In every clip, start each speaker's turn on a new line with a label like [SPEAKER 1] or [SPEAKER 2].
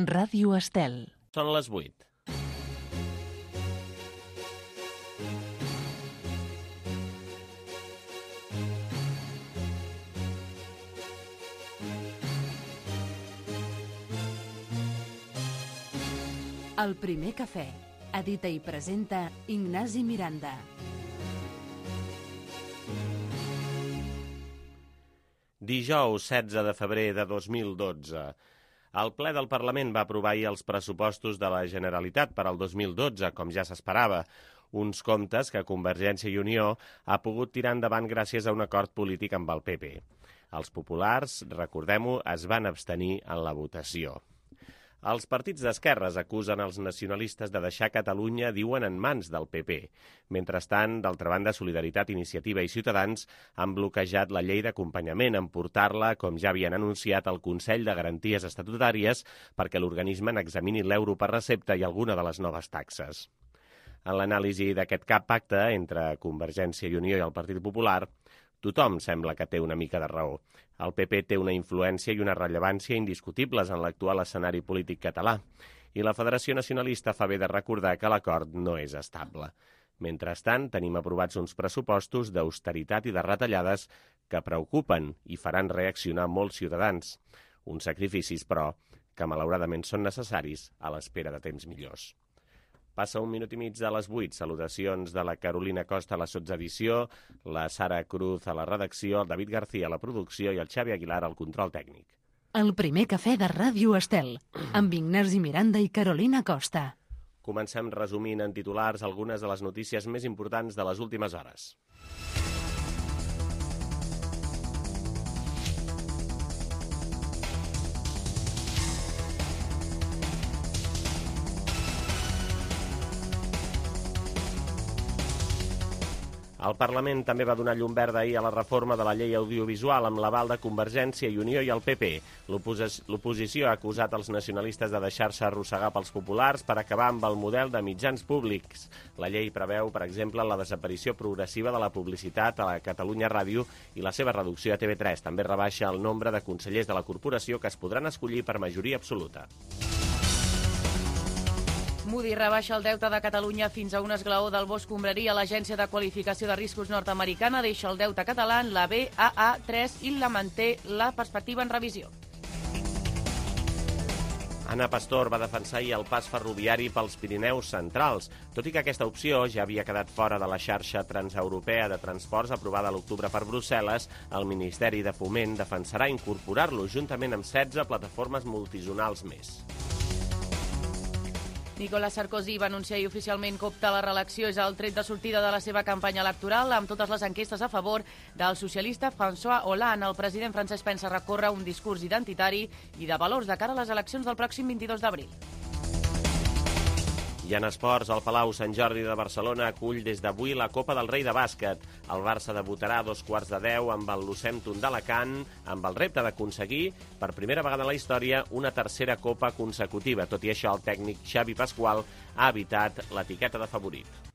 [SPEAKER 1] Ràdio Estel.
[SPEAKER 2] Són les 8.
[SPEAKER 1] El primer cafè. Edita i presenta Ignasi Miranda.
[SPEAKER 2] Dijous 16 de febrer de 2012. El ple del Parlament va aprovar ahir els pressupostos de la Generalitat per al 2012, com ja s'esperava. Uns comptes que Convergència i Unió ha pogut tirar endavant gràcies a un acord polític amb el PP. Els populars, recordem-ho, es van abstenir en la votació. Els partits d'esquerres acusen els nacionalistes de deixar Catalunya, diuen, en mans del PP. Mentrestant, d'altra banda, Solidaritat, Iniciativa i Ciutadans han bloquejat la llei d'acompanyament en portar-la, com ja havien anunciat, al Consell de Garanties Estatutàries perquè l'organisme n'examini l'euro per recepta i alguna de les noves taxes. En l'anàlisi d'aquest pacte entre Convergència i Unió i el Partit Popular, tothom sembla que té una mica de raó. El PP té una influència i una rellevància indiscutibles en l'actual escenari polític català, i la Federació Nacionalista fa bé de recordar que l'acord no és estable. Mentrestant, tenim aprovats uns pressupostos d'austeritat i de retallades que preocupen i faran reaccionar molts ciutadans. Uns sacrificis, però, que malauradament són necessaris a l'espera de temps millors. Passa 1 minut i mig de les 8. Salutacions de la Carolina Costa a la sotsedició, la Sara Cruz a la redacció, el David García a la producció i el Xavi Aguilar al control tècnic.
[SPEAKER 1] El primer cafè de Ràdio Estel, amb Ignasi Miranda i Carolina Costa.
[SPEAKER 2] Comencem resumint en titulars algunes de les notícies més importants de les últimes hores. El Parlament també va donar llum verda ahir a la reforma de la llei audiovisual amb l'aval de Convergència i Unió i el PP. L'oposició ha acusat els nacionalistes de deixar-se arrossegar pels populars per acabar amb el model de mitjans públics. La llei preveu, per exemple, la desaparició progressiva de la publicitat a la Catalunya Ràdio i la seva reducció a TV3. També rebaixa el nombre de consellers de la corporació que es podran escollir per majoria absoluta.
[SPEAKER 3] Moody rebaixa el deute de Catalunya fins a un esglaó del bo escombraria. L'Agència de Qualificació de Riscos nord-americana deixa el deute català en la Baa3 i la manté la perspectiva en revisió.
[SPEAKER 2] Ana Pastor va defensar ahir el pas ferroviari pels Pirineus centrals. Tot i que aquesta opció ja havia quedat fora de la xarxa transeuropea de transports aprovada a l'octubre per Brussel·les, el Ministeri de Foment defensarà incorporar-lo juntament amb 16 plataformes multizonals més.
[SPEAKER 3] Nicolas Sarkozy va anunciar ahir oficialment que opta a la reelecció. És el tret de sortida de la seva campanya electoral, amb totes les enquestes a favor del socialista François Hollande. El president francès pensa recórrer un discurs identitari i de valors de cara a les eleccions del pròxim 22 d'abril.
[SPEAKER 2] I en esports, el Palau Sant Jordi de Barcelona acull des d'avui la Copa del Rei de bàsquet. El Barça debutarà a 2:15 amb el Lucentum d'Alacant, amb el repte d'aconseguir, per primera vegada en la història, una tercera copa consecutiva. Tot i això, el tècnic Xavi Pasqual ha evitat l'etiqueta de favorit.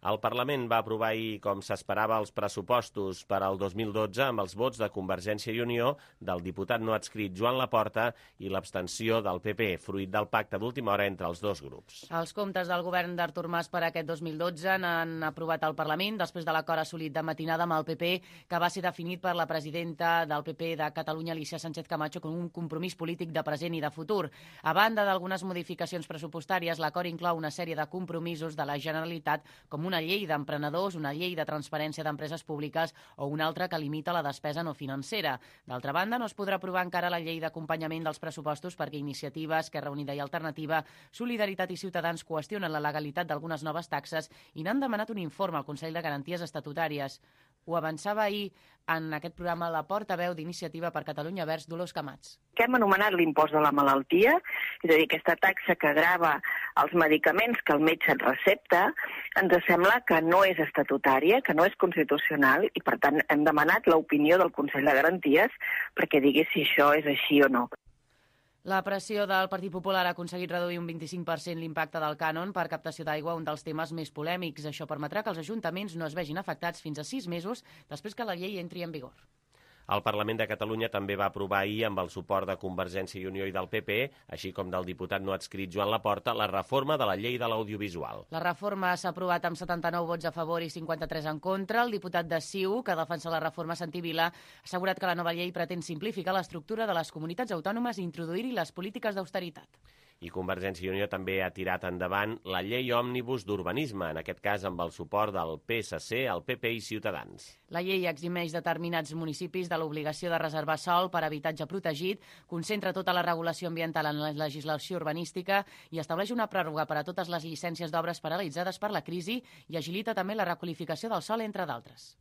[SPEAKER 2] El Parlament va aprovar ahir, com s'esperava, els pressupostos per al 2012 amb els vots de Convergència i Unió, del diputat no adscrit Joan Laporta i l'abstenció del PP, fruit del pacte d'última hora entre els dos grups.
[SPEAKER 3] Els comptes del govern d'Artur Mas per aquest 2012 n'han aprovat al Parlament després de l'acord assolit de matinada amb el PP, que va ser definit per la presidenta del PP de Catalunya, Alícia Sánchez Camacho, com un compromís polític de present i de futur. A banda d'algunes modificacions pressupostàries, l'acord inclou una sèrie de compromisos de la Generalitat, com una llei d'emprenedors, una llei de transparència d'empreses públiques o una altra que limita la despesa no financera. D'altra banda, no es podrà aprovar encara la llei d'acompanyament dels pressupostos perquè Iniciativa, Esquerra Unida i Alternativa, Solidaritat i Ciutadans qüestionen la legalitat d'algunes noves taxes i n'han demanat un informe al Consell de Garanties Estatutàries. Ho avançava ahir en aquest programa la portaveu d'Iniciativa per Catalunya Verds, Dolors Camats.
[SPEAKER 4] Que hem anomenat l'impost de la malaltia, és a dir, aquesta taxa que grava els medicaments que el metge et recepta, ens sembla que no és estatutària, que no és constitucional i, per tant, hem demanat l'opinió del Consell de Garanties perquè digui si això és així o no.
[SPEAKER 3] La pressió del Partit Popular ha aconseguit reduir un 25% l'impacte del cànon per captació d'aigua, un dels temes més polèmics. Això permetrà que els ajuntaments no es vegin afectats fins a 6 mesos després que la llei entri en vigor.
[SPEAKER 2] El Parlament de Catalunya també va aprovar ahir, amb el suport de Convergència i Unió i del PP, així com del diputat no adscrit Joan Laporta, la reforma de la llei de l'audiovisual.
[SPEAKER 3] La reforma s'ha aprovat amb 79 vots a favor i 53 en contra. El diputat de CiU, que defensa la reforma, Santi Vila, ha assegurat que la nova llei pretén simplificar l'estructura de les comunitats autònomes i introduir-hi les polítiques d'austeritat.
[SPEAKER 2] I Convergència i Unió també ha tirat endavant la llei òmnibus d'urbanisme, en aquest cas amb el suport del PSC, el PP i Ciutadans.
[SPEAKER 3] La llei eximeix determinats municipis de l'obligació de reservar sòl per a habitatge protegit, concentra tota la regulació ambiental en la legislació urbanística i estableix una pròrroga per a totes les llicències d'obres paralitzades per la crisi i agilita també la requalificació del sòl, entre d'altres.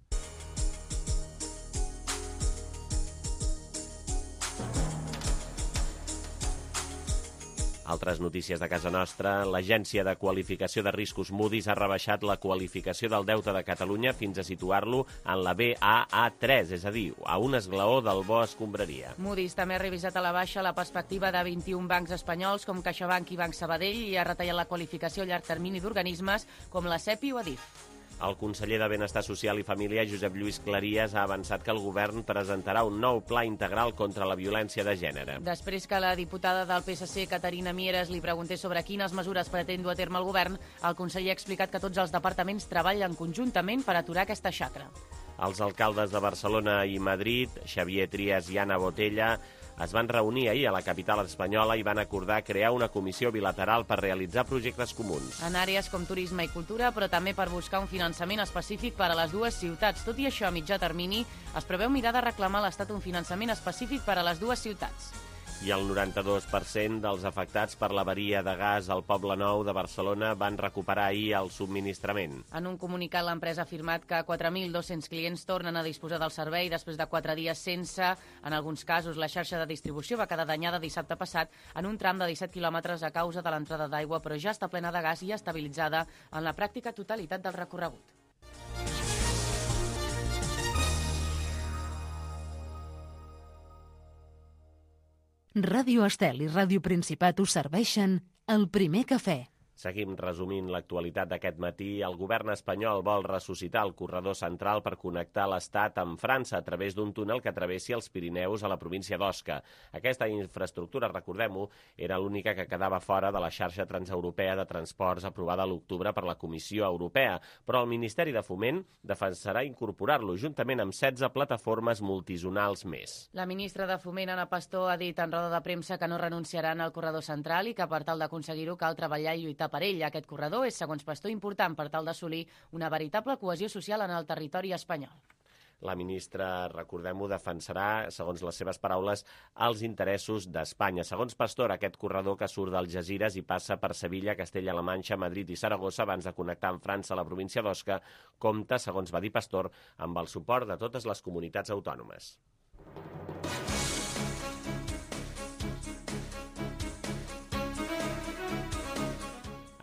[SPEAKER 2] Altres notícies de casa nostra. L'Agència de Qualificació de Riscos Moody's ha rebaixat la qualificació del deute de Catalunya fins a situar-lo en la Baa3, és a dir, a un esglaó del bo escombraria.
[SPEAKER 3] Moody's també ha revisat a la baixa la perspectiva de 21 bancs espanyols com CaixaBank i Banc Sabadell i ha retallat la qualificació a llarg termini d'organismes com la CEPI o Adif.
[SPEAKER 2] El conseller de Benestar Social i Família, Josep Lluís Clarias, ha avançat que el govern presentarà un nou pla integral contra la violència de gènere.
[SPEAKER 3] Després que la diputada del PSC, Caterina Mieres, li preguntés sobre quines mesures pretén dur a terme el govern, el conseller ha explicat que tots els departaments treballen conjuntament per aturar aquesta xacra.
[SPEAKER 2] Els alcaldes de Barcelona i Madrid, Xavier Trias i Anna Botella, es van reunir ahir a la capital espanyola i van acordar crear una comissió bilateral per realitzar projectes comuns.
[SPEAKER 3] En àrees com turisme i cultura, però també per buscar un finançament específic per a les dues ciutats. Tot i això, a mitjà termini, es preveu mirar de reclamar a l'Estat un finançament específic per a les dues ciutats.
[SPEAKER 2] I el 92% dels afectats per l'avaria de gas al Poble Nou de Barcelona van recuperar ahir el subministrament.
[SPEAKER 3] En un comunicat, l'empresa ha afirmat que 4.200 clients tornen a disposar del servei després de 4 dies sense. En alguns casos, la xarxa de distribució va quedar danyada dissabte passat en un tram de 17 quilòmetres a causa de l'entrada d'aigua, però ja està plena de gas i estabilitzada en la pràctica totalitat del recorregut.
[SPEAKER 1] Ràdio Estel i Ràdio Principat us serveixen el primer cafè.
[SPEAKER 2] Seguim resumint l'actualitat d'aquest matí. El govern espanyol vol ressuscitar el corredor central per connectar l'Estat amb França a través d'un túnel que travessi els Pirineus a la província d'Osca. Aquesta infraestructura, recordem-ho, era l'única que quedava fora de la xarxa transeuropea de transports aprovada a l'octubre per la Comissió Europea, però el Ministeri de Foment defensarà incorporar-lo juntament amb 16 plataformes multizonals més.
[SPEAKER 3] La ministra de Foment, Ana Pastor, ha dit en roda de premsa que no renunciaran al corredor central i que per tal d'aconseguir-ho cal treballar i lluitar per ell. Aquest corredor és, segons Pastor, important per tal d'assolir una veritable cohesió social en el territori espanyol.
[SPEAKER 2] La ministra, recordem-ho, defensarà, segons les seves paraules, els interessos d'Espanya. Segons Pastor, aquest corredor que surt d'Algesires i passa per Sevilla, Castella-La Manxa, Madrid i Saragossa abans de connectar amb França a la província d'Osca, compta, segons va dir Pastor, amb el suport de totes les comunitats autònomes.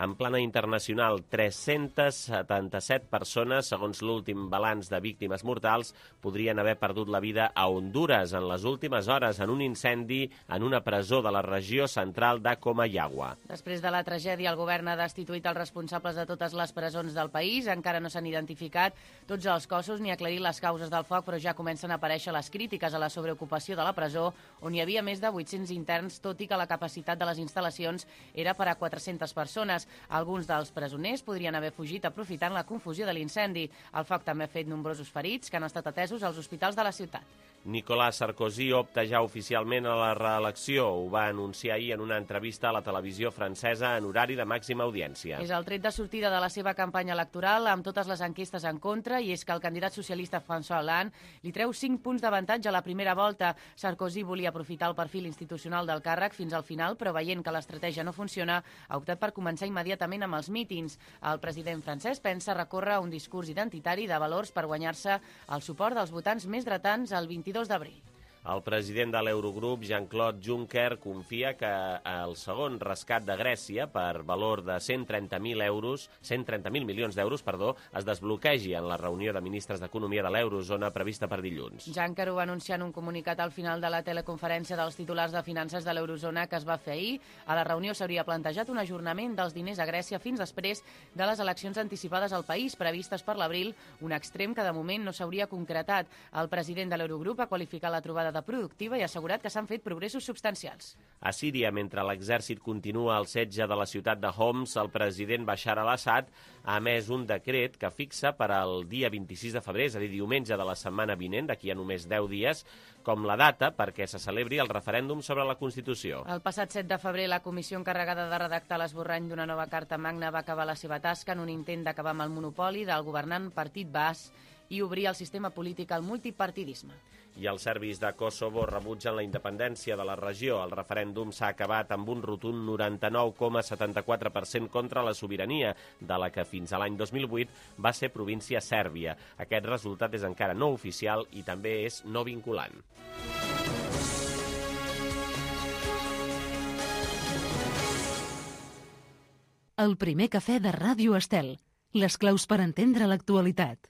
[SPEAKER 2] En plana internacional, 377 persones, segons l'últim balanç de víctimes mortals, podrien haver perdut la vida a Hondures en les últimes hores en un incendi en una presó de la regió central de Comayagua.
[SPEAKER 3] Després de la tragèdia, el govern ha destituït els responsables de totes les presons del país. Encara no s'han identificat tots els cossos ni aclarit les causes del foc, però ja comencen a aparèixer les crítiques a la sobreocupació de la presó, on hi havia més de 800 interns, tot i que la capacitat de les instal·lacions era per a 400 persones. Alguns dels presoners podrien haver fugit aprofitant la confusió de l'incendi. El foc també ha fet nombrosos ferits que han estat atesos als hospitals de la ciutat.
[SPEAKER 2] Nicolas Sarkozy opta ja oficialment a la reelecció. Ho va anunciar ahir en una entrevista a la televisió francesa en horari de màxima audiència.
[SPEAKER 3] És el tret de sortida de la seva campanya electoral amb totes les enquestes en contra, i és que el candidat socialista François Hollande li treu 5 punts d'avantatge a la primera volta. Sarkozy volia aprofitar el perfil institucional del càrrec fins al final, però veient que l'estratègia no funciona, ha optat per començar immediatament amb els mítings. El president francès pensa recórrer un discurs identitari de valors per guanyar-se el suport dels votants més dretans el 22 d'abril.
[SPEAKER 2] El president de l'Eurogrup, Jean-Claude Juncker, confia que el segon rescat de Grècia, per valor de 130.000 milions d'euros, es desbloquegi en la reunió de ministres d'Economia de l'Eurozona prevista per dilluns.
[SPEAKER 3] Juncker ho va anunciar en un comunicat al final de la teleconferència dels titulars de finances de l'Eurozona que es va fer ahir. A la reunió s'hauria plantejat un ajornament dels diners a Grècia fins després de les eleccions anticipades al país, previstes per l'abril, un extrem que de moment no s'hauria concretat. El president de l'Eurogrup ha qualificat la trobada de productiva i ha assegurat que s'han fet progressos substancials.
[SPEAKER 2] A Síria, mentre l'exèrcit continua el setge de la ciutat de Homs, el president Bashar al-Assad ha emès un decret que fixa per al dia 26 de febrer, és a dir, diumenge de la setmana vinent, d'aquí a només 10 dies, com la data perquè se celebri el referèndum sobre la Constitució.
[SPEAKER 3] El passat 7 de febrer, la comissió encarregada de redactar l'esborrany d'una nova Carta Magna va acabar la seva tasca en un intent d'acabar amb el monopoli del governant Partit Baas i obrir el sistema polític al multipartidisme.
[SPEAKER 2] I els serbis de Kosovo rebutgen la independència de la regió. El referèndum s'ha acabat amb un rotund 99,74% contra la sobirania, de la que fins a l'any 2008 va ser província sèrbia. Aquest resultat és encara no oficial i també és no vinculant.
[SPEAKER 1] El primer cafè de Ràdio Estel. Les claus per entendre l'actualitat.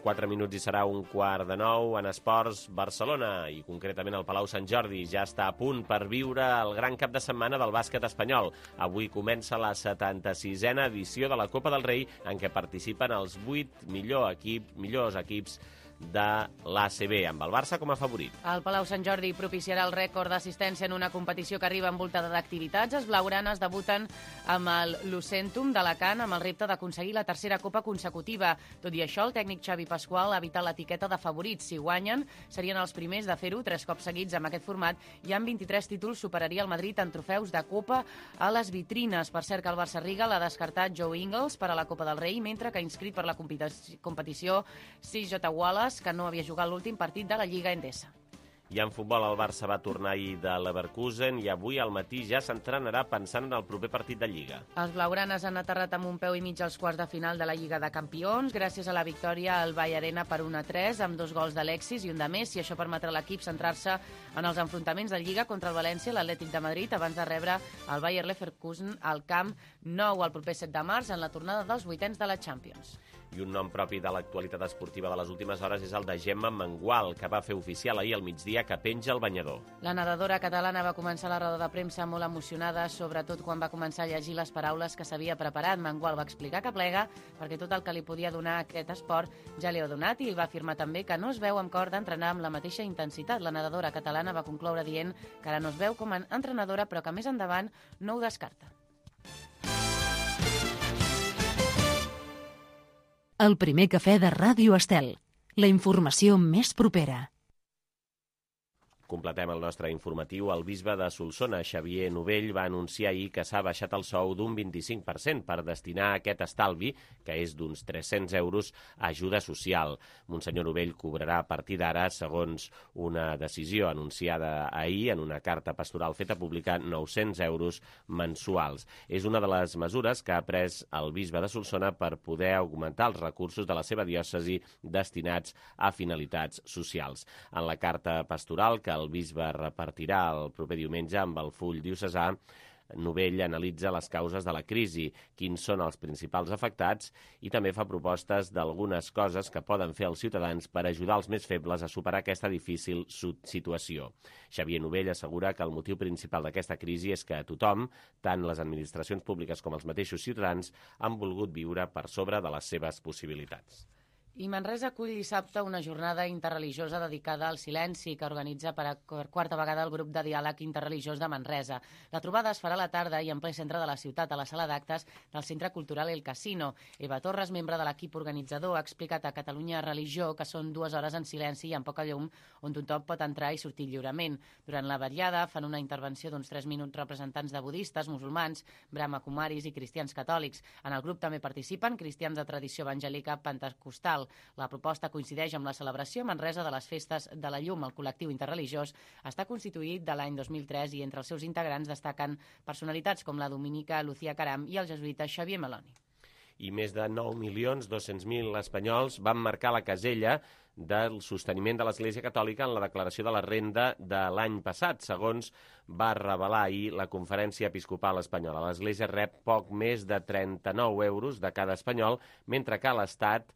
[SPEAKER 2] Quatre minuts i serà 8:45 en esports. Barcelona, i concretament el Palau Sant Jordi, ja està a punt per viure el gran cap de setmana del bàsquet espanyol. Avui comença la 76a edició de la Copa del Rei, en què participen els 8 millors equips de l'ACB, amb el Barça com a favorit.
[SPEAKER 3] El Palau Sant Jordi propiciarà el rècord d'assistència en una competició que arriba envoltada d'activitats. Els blaugranes debuten amb el Lucentum d'Alacant amb el repte d'aconseguir la tercera copa consecutiva. Tot i això, el tècnic Xavi Pasqual ha evitat l'etiqueta de favorits. Si guanyen, serien els primers de fer-ho 3 cops seguits amb aquest format i amb 23 títols superaria el Madrid en trofeus de copa a les vitrines. Per cert, que el Barça Riga l'ha descartat Joe Ingles per a la Copa del Rei, mentre que ha inscrit per la competició CJ Wallace, que no havia jugat l'últim partit de la Lliga Endesa.
[SPEAKER 2] I en futbol, el Barça va tornar ahir de Leverkusen i avui al matí ja s'entrenarà pensant en el proper partit de Lliga.
[SPEAKER 3] Els blaugranes han aterrat amb un peu i mig als quarts de final de la Lliga de Campions gràcies a la victòria al Vall Arena per 1-3 amb 2 gols d'Alexis i un de Messi. Això permetrà a l'equip centrar-se en els enfrontaments de Lliga contra el València i l'Atlètic de Madrid abans de rebre el Bayer Leverkusen al Camp Nou el proper 7 de març en la tornada dels vuitens de la Champions.
[SPEAKER 2] I un nom propi de l'actualitat esportiva de les últimes hores és el de Gemma Mengual, que va fer oficial ahir al migdia que penja el banyador.
[SPEAKER 3] La nedadora catalana va començar la roda de premsa molt emocionada, sobretot quan va començar a llegir les paraules que s'havia preparat. Mengual va explicar que plega perquè tot el que li podia donar aquest esport ja li ha donat i va afirmar també que no es veu amb cor d'entrenar amb la mateixa intensitat. La nedadora catalana va concloure dient que ara no es veu com a entrenadora, però que més endavant no ho descarta.
[SPEAKER 1] El primer cafè de Ràdio Estel. La informació més propera.
[SPEAKER 2] Completem el nostre informatiu. El bisbe de Solsona, Xavier Novell, va anunciar ahir que s'ha baixat el sou d'un 25% per destinar aquest estalvi, que és d'uns 300 euros, a ajuda social. Monsenyor Novell cobrarà a partir d'ara, segons una decisió anunciada ahir en una carta pastoral feta pública, 900 euros mensuals. És una de les mesures que ha pres el bisbe de Solsona per poder augmentar els recursos de la seva diòcesi destinats a finalitats socials. En la carta pastoral que el bisbe repartirà el proper diumenge amb el full diocesà, Novell analitza les causes de la crisi, quins són els principals afectats i també fa propostes d'algunes coses que poden fer els ciutadans per ajudar els més febles a superar aquesta difícil situació. Xavier Novell assegura que el motiu principal d'aquesta crisi és que tothom, tant les administracions públiques com els mateixos ciutadans, han volgut viure per sobre de les seves possibilitats.
[SPEAKER 3] I Manresa acull dissabte una jornada interreligiosa dedicada al silenci que organitza per quarta vegada el grup de diàleg interreligiós de Manresa. La trobada es farà a la tarda i en ple centre de la ciutat, a la sala d'actes del Centre Cultural El Casino. Eva Torres, membre de l'equip organitzador, ha explicat a Catalunya Religió que són 2 hores en silenci i amb poca llum on tothom pot entrar i sortir lliurement. Durant la vetllada fan una intervenció d'uns 3 minuts representants de budistes, musulmans, brahmakumaris i cristians catòlics. En el grup també participen cristians de tradició evangèlica pentecostal. social. La proposta coincideix amb la celebració a Manresa de les Festes de la Llum. El col·lectiu interreligiós està constituït de l'any 2003 i entre els seus integrants destaquen personalitats com la dominica Lucía Caram i el jesuïta Xavier Meloni.
[SPEAKER 2] I més de 9.200.000 espanyols van marcar la casella del sosteniment de l'Església Catòlica en la declaració de la renda de l'any passat, segons va revelar ahir la Conferència Episcopal Espanyola. L'Església rep poc més de 39 euros de cada espanyol, mentre que l'Estat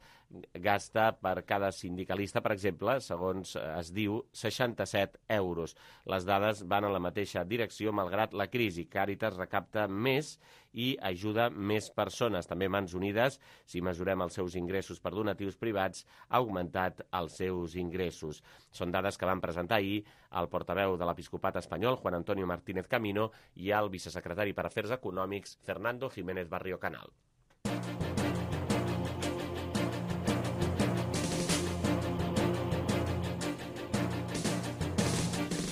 [SPEAKER 2] gasta per cada sindicalista, per exemple, segons es diu, 67 euros. Les dades van en la mateixa direcció, malgrat la crisi. Càritas recapta més i ajuda més persones. També Mans Unides, si mesurem els seus ingressos per donatius privats, ha augmentat els seus ingressos. Són dades que van presentar ahir el portaveu de l'Episcopat espanyol, Juan Antonio Martínez Camino, i el vicesecretari per Afers Econòmics, Fernando Jiménez Barrio Canal.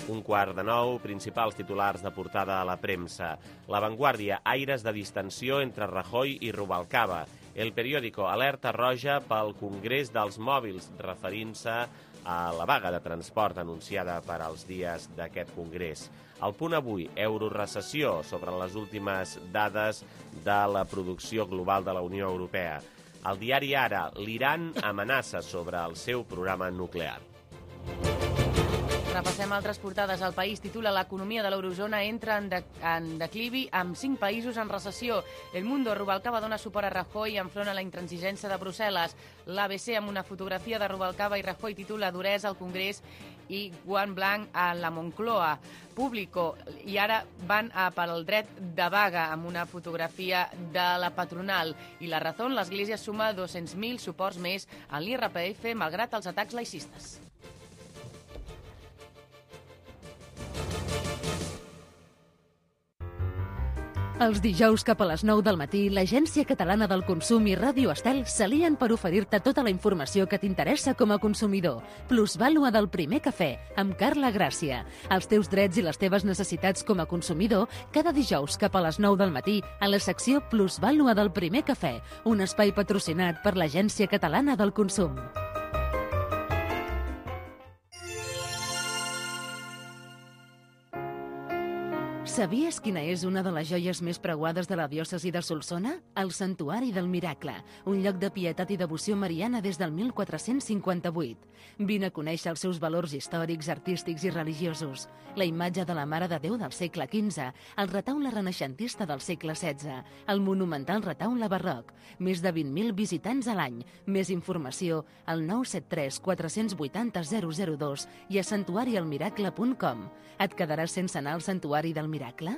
[SPEAKER 2] Un quart de nou, principals titulars de portada a la premsa. La Vanguardia, aires de distensió entre Rajoy i Rubalcaba. El periòdico, alerta roja pel Congrés dels Mòbils, referint-se a la vaga de transport anunciada per als dies d'aquest congrés. El Punt avui, eurorecessió, sobre les últimes dades de la producció global de la Unió Europea. El diari Ara, l'Iran amenaça sobre el seu programa nuclear.
[SPEAKER 3] Repassem altres portades. El País titula l'economia de l'eurozona entra en declivi amb 5 països en recessió. El Mundo, Rubalcaba dona suport a Rajoy enfront a la intransigència de Brussel·les. L'ABC, amb una fotografia de Rubalcaba i Rajoy, titula duresa al Congrés i guant blanc a la Moncloa. Público, i ara van pel dret de vaga amb una fotografia de la patronal. I La Razón, l'Església suma 200.000 suports més en l'IRPF malgrat els atacs laïcistes.
[SPEAKER 1] Els dijous cap a les 9 del matí, l'Agència Catalana del Consum i Ràdio Estel s'alien per oferir-te tota la informació que t'interessa com a consumidor. Plusvàlua del primer cafè, amb Carla Gràcia. Els teus drets i les teves necessitats com a consumidor, cada dijous cap a les 9 del matí, a la secció Plusvàlua del primer cafè, un espai patrocinat per l'Agència Catalana del Consum. Sabies quina és una de les joies més preuades de la diòcesi de Solsona? El Santuari del Miracle, un lloc de pietat i devoció mariana des del 1458. Vine a conèixer els seus valors històrics, artístics i religiosos. La imatge de la Mare de Déu del segle XV, el retaule renaixentista del segle XVI, el monumental retaule barroc, més de 20.000 visitants a l'any. Més informació al 973 480 002 i a santuarialmiracle.com. Et quedaràs sense anar al Santuari del Miracle?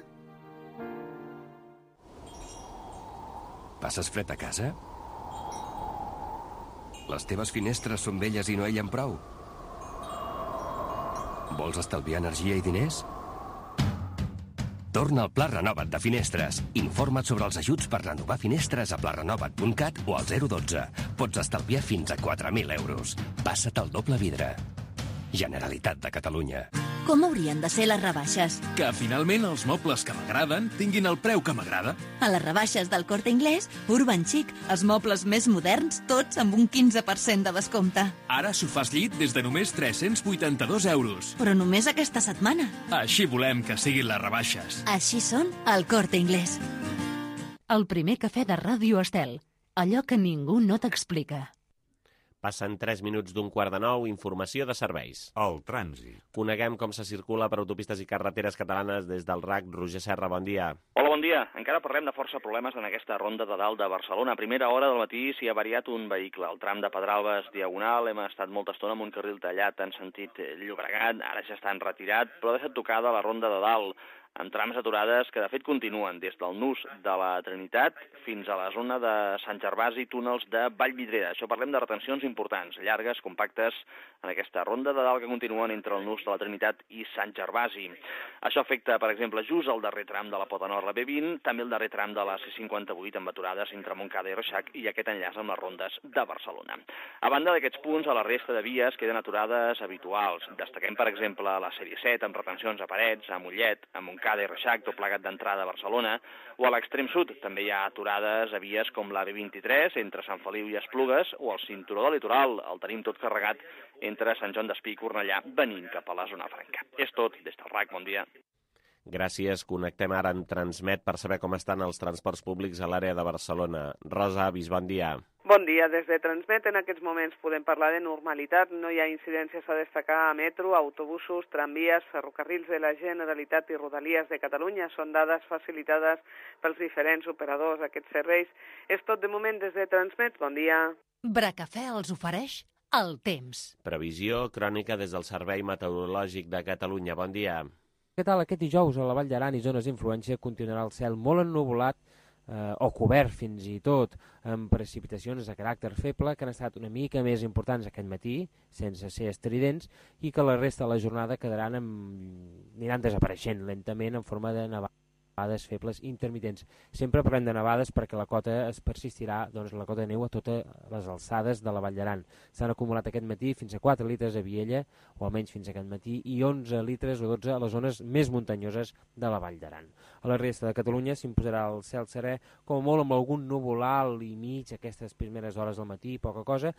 [SPEAKER 5] Passes fred a casa? Les teves finestres són velles i no ellen prou? Vols estalviar energia i diners? Torna al Pla Renova't de Finestres. Informa't sobre els ajuts per renovar finestres a plarenovat.cat o al 012. Pots estalviar fins a 4.000 euros. Passa't al doble vidre. Generalitat de Catalunya.
[SPEAKER 6] Com haurien de ser les rebaixes?
[SPEAKER 7] Que finalment els mobles que m'agraden tinguin el preu que m'agrada.
[SPEAKER 6] A les rebaixes del Corte Inglés, Urban Chic, els mobles més moderns, tots amb un 15% de descompte.
[SPEAKER 7] Ara sofàs llit des de només 382 euros.
[SPEAKER 6] Però només aquesta setmana.
[SPEAKER 7] Així volem que siguin les rebaixes.
[SPEAKER 6] Així són al Corte Inglés.
[SPEAKER 1] El primer cafè de Ràdio Estel. Allò que ningú no t'explica.
[SPEAKER 2] Passen 3 minuts d'un quart de 9, informació de serveis.
[SPEAKER 8] El trànsit.
[SPEAKER 2] Coneguem com se circula per autopistes i carreteres catalanes des del RAC. Roger Serra, bon dia.
[SPEAKER 9] Hola, bon dia. Encara parlem de força problemes en aquesta ronda de dalt de Barcelona. A primera hora del matí s'hi ha variat un vehicle. El tram de Pedralbes diagonal, hem estat molta estona amb un carril tallat en sentit Llobregat, ara ja està retirat, però ha deixat tocada la ronda de dalt, amb trams aturades que de fet continuen des del nus de la Trinitat fins a la zona de Sant Gervasi i túnels de Vallvidrera. Això parlem de retencions importants, llargues, compactes, en aquesta ronda de dalt que continuen entre el nus de la Trinitat i Sant Gervasi. Això afecta, per exemple, just el darrer tram de la Pota Nord, la B20, també el darrer tram de la C58 amb aturades entre Montcada i Reixac i aquest enllaç amb les rondes de Barcelona. A banda d'aquests punts, a la resta de vies queden aturades habituals. Destaquem, per exemple, la sèrie 7 amb retencions a Parets, a Mollet, a Montcada, Montcada i Reixac, tot plegat d'entrada a Barcelona, o a l'extrem sud també hi ha aturades a vies com l'AV23 entre Sant Feliu i Esplugues o el cinturó del litoral. El tenim tot carregat entre Sant Joan d'Espí i Cornellà, venint cap a la zona franca. És tot, des del RAC, bon dia.
[SPEAKER 2] Gràcies. Connectem ara amb Transmet per saber com estan els transports públics a l'àrea de Barcelona. Rosa Avis, bon dia.
[SPEAKER 8] Bon dia. Des de Transmet en aquests moments podem parlar de normalitat. No hi ha incidències a destacar a metro, autobusos, tramvies, ferrocarrils de la Generalitat i Rodalies de Catalunya. Són dades facilitades pels diferents operadors d'aquests serveis. És tot de moment des de Transmet. Bon dia.
[SPEAKER 1] Bracafè els ofereix el temps.
[SPEAKER 2] Previsió crònica des del Servei Meteorològic de Catalunya. Bon dia.
[SPEAKER 10] Què tal? Aquest dijous a la Vall d'Aran i zones d'influència continuarà el cel molt ennuvolat o cobert fins i tot amb precipitacions de caràcter feble que han estat una mica més importants aquest matí, sense ser estridents, i que la resta de la jornada aniran desapareixent lentament en forma de nevades febles intermitents. Sempre parlem de nevades perquè la cota es persistirà, doncs la cota de neu a totes les alçades de la Vall d'Aran. S'han acumulat aquest matí fins a 4 litres a Viella, o almenys fins a aquest matí, i 11 litres o 12 a les zones més muntanyoses de la Vall d'Aran. A la resta de Catalunya s'imposarà el cel serè, com molt amb algun núvol alt i mig aquestes primeres hores del matí, poca cosa,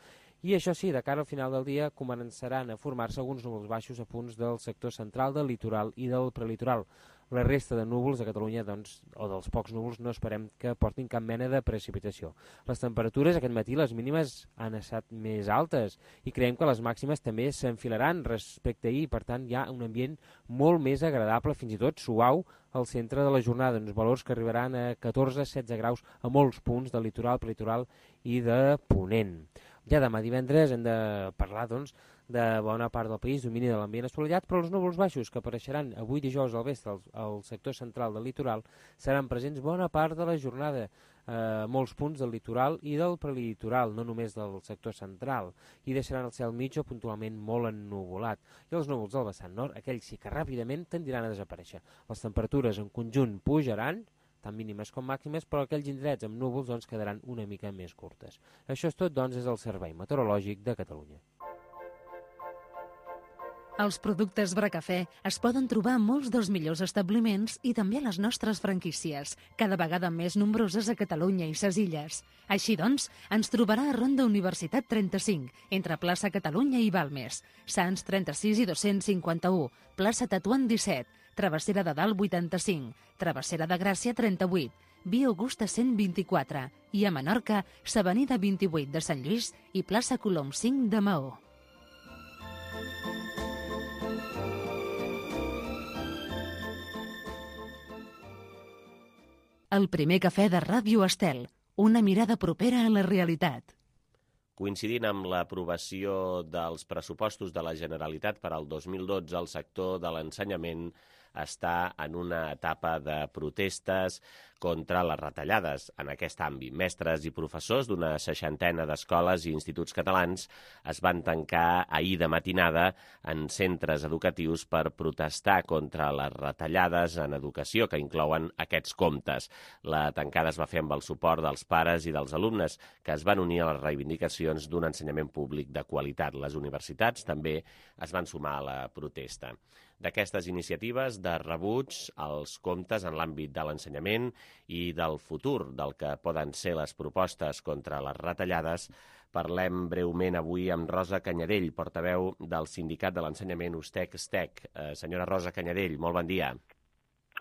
[SPEAKER 10] i això sí, de cara al final del dia començaran a formar-se alguns núvols baixos a punts del sector central, del litoral i del prelitoral. La resta de núvols de Catalunya, doncs, o dels pocs núvols, no esperem que portin cap mena de precipitació. Les temperatures aquest matí, les mínimes, han estat més altes i creiem que les màximes també s'enfilaran respecte a ahir. Per tant, hi ha un ambient molt més agradable, fins i tot suau, al centre de la jornada, uns valors que arribaran a 14-16 graus a molts punts del litoral, prelitoral i de Ponent. Ja demà divendres hem de parlar, doncs, de bona part del país, domini de l'ambient assolellat, però els núvols baixos que apareixeran avui dijous al vespre al sector central del litoral seran presents bona part de la jornada a molts punts del litoral i del prelitoral, no només del sector central, i deixaran el cel mig o puntualment molt ennuvolat. I els núvols del vessant nord, aquells sí que ràpidament tendiran a desaparèixer. Les temperatures en conjunt pujaran, tant mínimes com màximes, però aquells indrets amb núvols doncs, quedaran una mica més curtes. Això és tot, doncs, és el Servei Meteorològic de Catalunya.
[SPEAKER 1] Els productes Bracafè es poden trobar a molts dels millors establiments i també a les nostres franquícies, cada vegada més nombroses a Catalunya i ses illes. Així doncs, ens trobarà a Ronda Universitat 35, entre plaça Catalunya i Balmes, Sants 36 i 251, plaça Tatuant 17, Travessera de Dalt 85, Travessera de Gràcia 38, Via Augusta 124 i a Menorca, s'Avenida 28 de Sant Lluís i plaça Colom 5 de Maó. El primer cafè de Ràdio Estel, una mirada propera a la realitat.
[SPEAKER 2] Coincidint amb l'aprovació dels pressupostos de la Generalitat per al 2012, el sector de l'ensenyament està en una etapa de protestes contra les retallades en aquest àmbit. Mestres i professors d'una 60ena d'escoles i instituts catalans es van tancar ahir de matinada en centres educatius per protestar contra les retallades en educació que inclouen aquests comptes. La tancada es va fer amb el suport dels pares i dels alumnes que es van unir a les reivindicacions d'un ensenyament públic de qualitat. Les universitats també es van sumar a la protesta. D'aquestes iniciatives de rebuig als comptes en l'àmbit de l'ensenyament i del futur del que poden ser les propostes contra les retallades, parlem breument avui amb Rosa Canyadell, portaveu del Sindicat de l'Ensenyament USTEC-STEC. Senyora Rosa Canyadell, molt bon dia.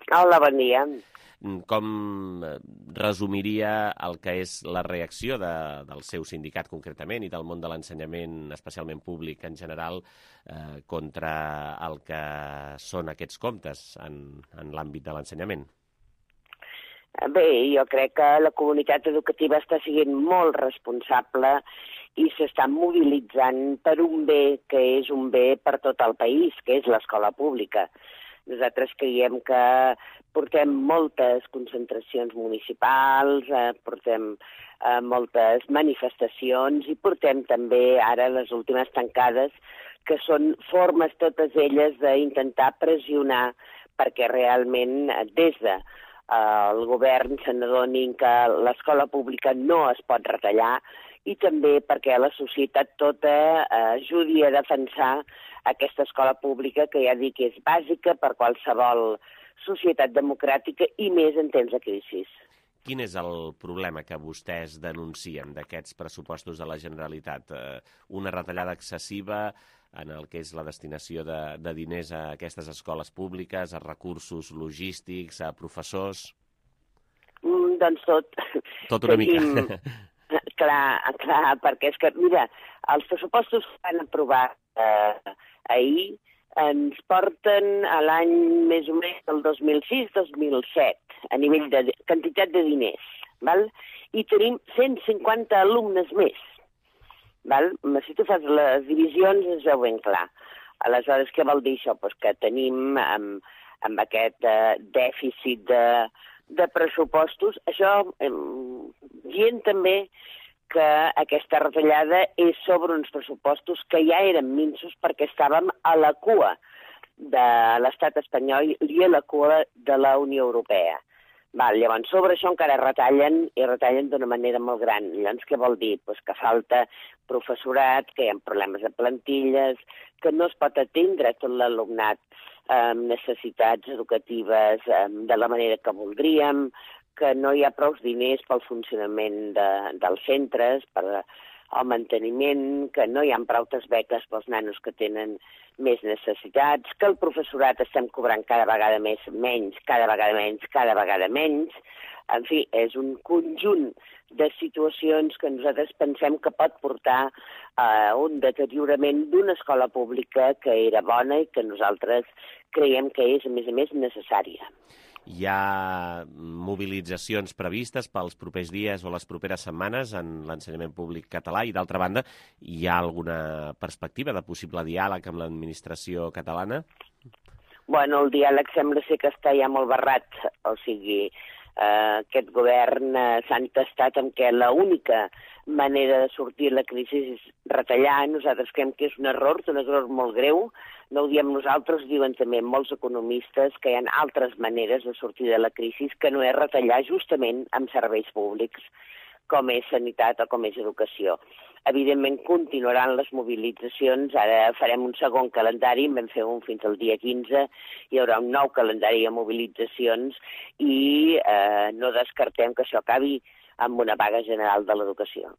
[SPEAKER 11] Hola, bon dia.
[SPEAKER 2] Com resumiria el que és la reacció del seu sindicat concretament i del món de l'ensenyament, especialment públic en general, contra el que són aquests comptes en l'àmbit de l'ensenyament?
[SPEAKER 11] Bé, jo crec que la comunitat educativa està sent molt responsable i s'està mobilitzant per un bé que és un bé per tot el país, que és l'escola pública. Nosaltres creiem que portem moltes concentracions municipals, portem moltes manifestacions i portem també ara les últimes tancades, que són formes totes elles d'intentar pressionar perquè realment des del govern se n'adonin que l'escola pública no es pot retallar i també perquè la societat tota ajudi a defensar aquesta escola pública que ja dic és bàsica per qualsevol societat democràtica i més en temps de crisi.
[SPEAKER 2] Quin és el problema que vostès denuncien d'aquests pressupostos de la Generalitat? Una retallada excessiva en el que és la destinació de diners a aquestes escoles públiques, a recursos logístics, a professors?
[SPEAKER 11] Doncs tot.
[SPEAKER 2] Tot una mica.
[SPEAKER 11] Clar, perquè és que, mira, els pressupostos que van aprovar ahir ens porten a l'any més o menys del 2006-2007, a nivell de quantitat de diners, val? I tenim 150 alumnes més. Val? Si tu fas les divisions es veu ben clar. Aleshores, què vol dir això? Pues que tenim amb aquest dèficit de pressupostos, això dient també que aquesta retallada és sobre uns pressupostos que ja eren minsos perquè estàvem a la cua de l'estat espanyol i a la cua de la Unió Europea. Llavors, sobre això encara retallen, i retallen d'una manera molt gran. Llavors, què vol dir? Pues que falta professorat, que hi ha problemes de plantilles, que no es pot atendre tot l'alumnat amb necessitats educatives de la manera que voldríem, que no hi ha prou diners pel funcionament dels centres, per al manteniment, que no hi ha prou beques pels nanos que tenen més necessitats, que el professorat estem cobrant cada vegada menys. En fi, és un conjunt de situacions que nosaltres pensem que pot portar a un deteriorament d'una escola pública que era bona i que nosaltres creiem que és, a més, necessària.
[SPEAKER 2] Hi ha mobilitzacions previstes pels propers dies o les properes setmanes en l'ensenyament públic català i, d'altra banda, hi ha alguna perspectiva de possible diàleg amb l'administració catalana?
[SPEAKER 11] Bueno, el diàleg sembla ser que està ja molt barrat, o sigui, aquest govern s'ha entestat en què l'única manera de sortir de la crisi és retallar. Nosaltres creiem que és un error molt greu. No ho diem nosaltres, ho diuen també molts economistes, que hi ha altres maneres de sortir de la crisi que no és retallar justament amb serveis públics, com és sanitat o com és educació. Evidentment, continuaran les mobilitzacions. Ara farem un segon calendari, en vam fer un fins al dia 15, hi haurà un nou calendari de mobilitzacions i no descartem que això acabi amb una vaga general de l'educació.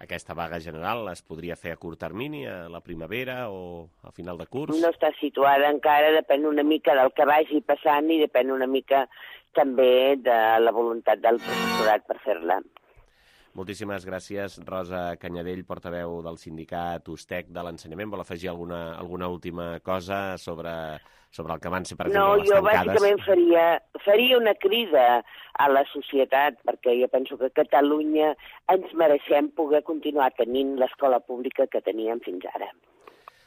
[SPEAKER 2] Aquesta vaga general es podria fer a curt termini, a la primavera o a final de curs?
[SPEAKER 11] No està situada encara, depèn una mica del que vagi passant i depèn una mica també de la voluntat del professorat per fer-la.
[SPEAKER 2] Moltíssimes gràcies, Rosa Canyadell, portaveu del sindicat USTEC de l'ensenyament. Vol afegir alguna última cosa sobre el que van ser, per exemple, les tancades?
[SPEAKER 11] No, jo bàsicament faria una crida a la societat, perquè jo penso que a Catalunya ens mereixem poder continuar tenint l'escola pública que teníem fins ara.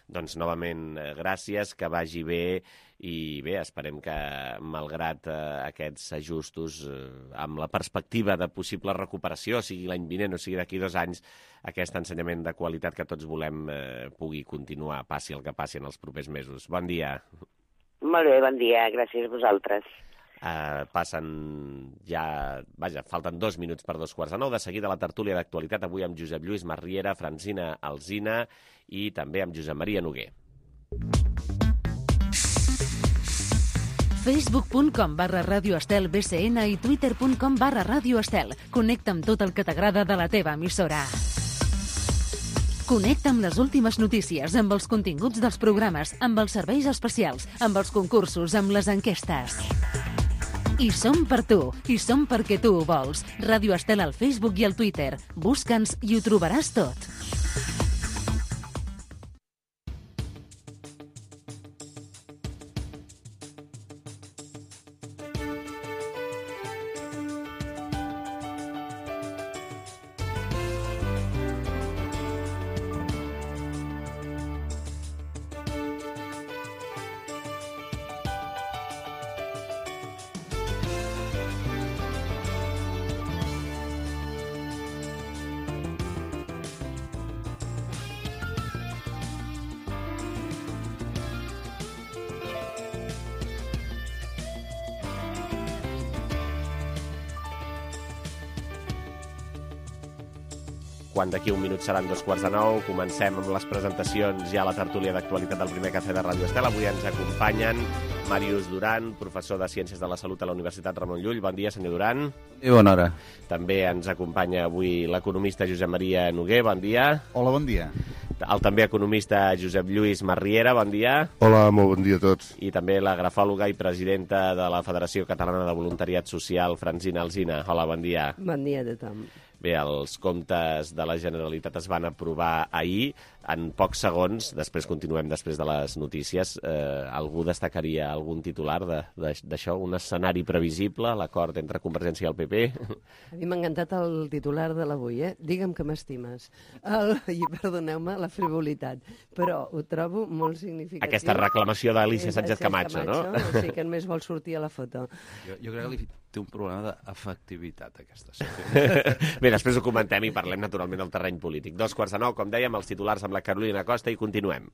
[SPEAKER 2] Doncs, novament, gràcies, que vagi bé, i bé, esperem que, malgrat aquests ajustos, amb la perspectiva de possible recuperació, sigui l'any vinent o sigui d'aquí 2 anys, aquest ensenyament de qualitat que tots volem pugui continuar, passi el que passi en els propers mesos. Bon dia.
[SPEAKER 11] Molt bé, bon dia, gràcies a vosaltres.
[SPEAKER 2] Passen ja... Vaja, falten 2 minuts per 2:45. De seguida la tertúlia d'actualitat, avui amb Josep Lluís Marriera, Francina Alsina i també amb Josep Maria Noguer.
[SPEAKER 1] Facebook.com/Radio Estel BCN i Twitter.com/Radio Estel. Connecta amb tot el que t'agrada de la teva emissora. Connecta amb les últimes notícies, amb els continguts dels programes, amb els serveis especials, amb els concursos, amb les enquestes. I som per tu, i som perquè tu ho vols. Ràdio Estel al Facebook i al Twitter. Busca'ns i ho trobaràs tot.
[SPEAKER 2] quan d'aquí un minut seran 8:45. Comencem amb les presentacions ja a la tertúlia d'actualitat del primer cafè de Ràdio Estel. Avui ens acompanyen Màrius Duran, professor de Ciències de la Salut a la Universitat Ramon Llull. Bon dia, senyor Duran.
[SPEAKER 12] I bona hora.
[SPEAKER 2] També ens acompanya avui l'economista Josep Maria Noguer. Bon dia.
[SPEAKER 13] Hola, bon dia.
[SPEAKER 2] El també economista Josep Lluís Marriera. Bon dia.
[SPEAKER 14] Hola, molt bon dia a tots.
[SPEAKER 2] I també la grafòloga i presidenta de la Federació Catalana de Voluntariat Social, Francina Alsina. Hola, bon dia.
[SPEAKER 15] Bon dia a tothom.
[SPEAKER 2] Bé, els comptes de la Generalitat es van aprovar ahir. En pocs segons, després continuem després de les notícies, algú destacaria algun titular d'això, un escenari previsible, l'acord entre Convergència i el PP?
[SPEAKER 15] A mi m'ha encantat el titular de l'avui, Digue'm que m'estimes. I perdoneu-me la frivolitat, però ho trobo molt significatiu.
[SPEAKER 2] Aquesta reclamació d'Alícia Sánchez Camacho, no?
[SPEAKER 15] Sí, que només vol sortir a la foto.
[SPEAKER 12] Jo crec que té un problema d'efectivitat, aquesta secció.
[SPEAKER 2] Bé, després ho comentem i parlem naturalment del terreny polític. 8:45, com dèiem, els titulars amb la Carolina Costa i continuem.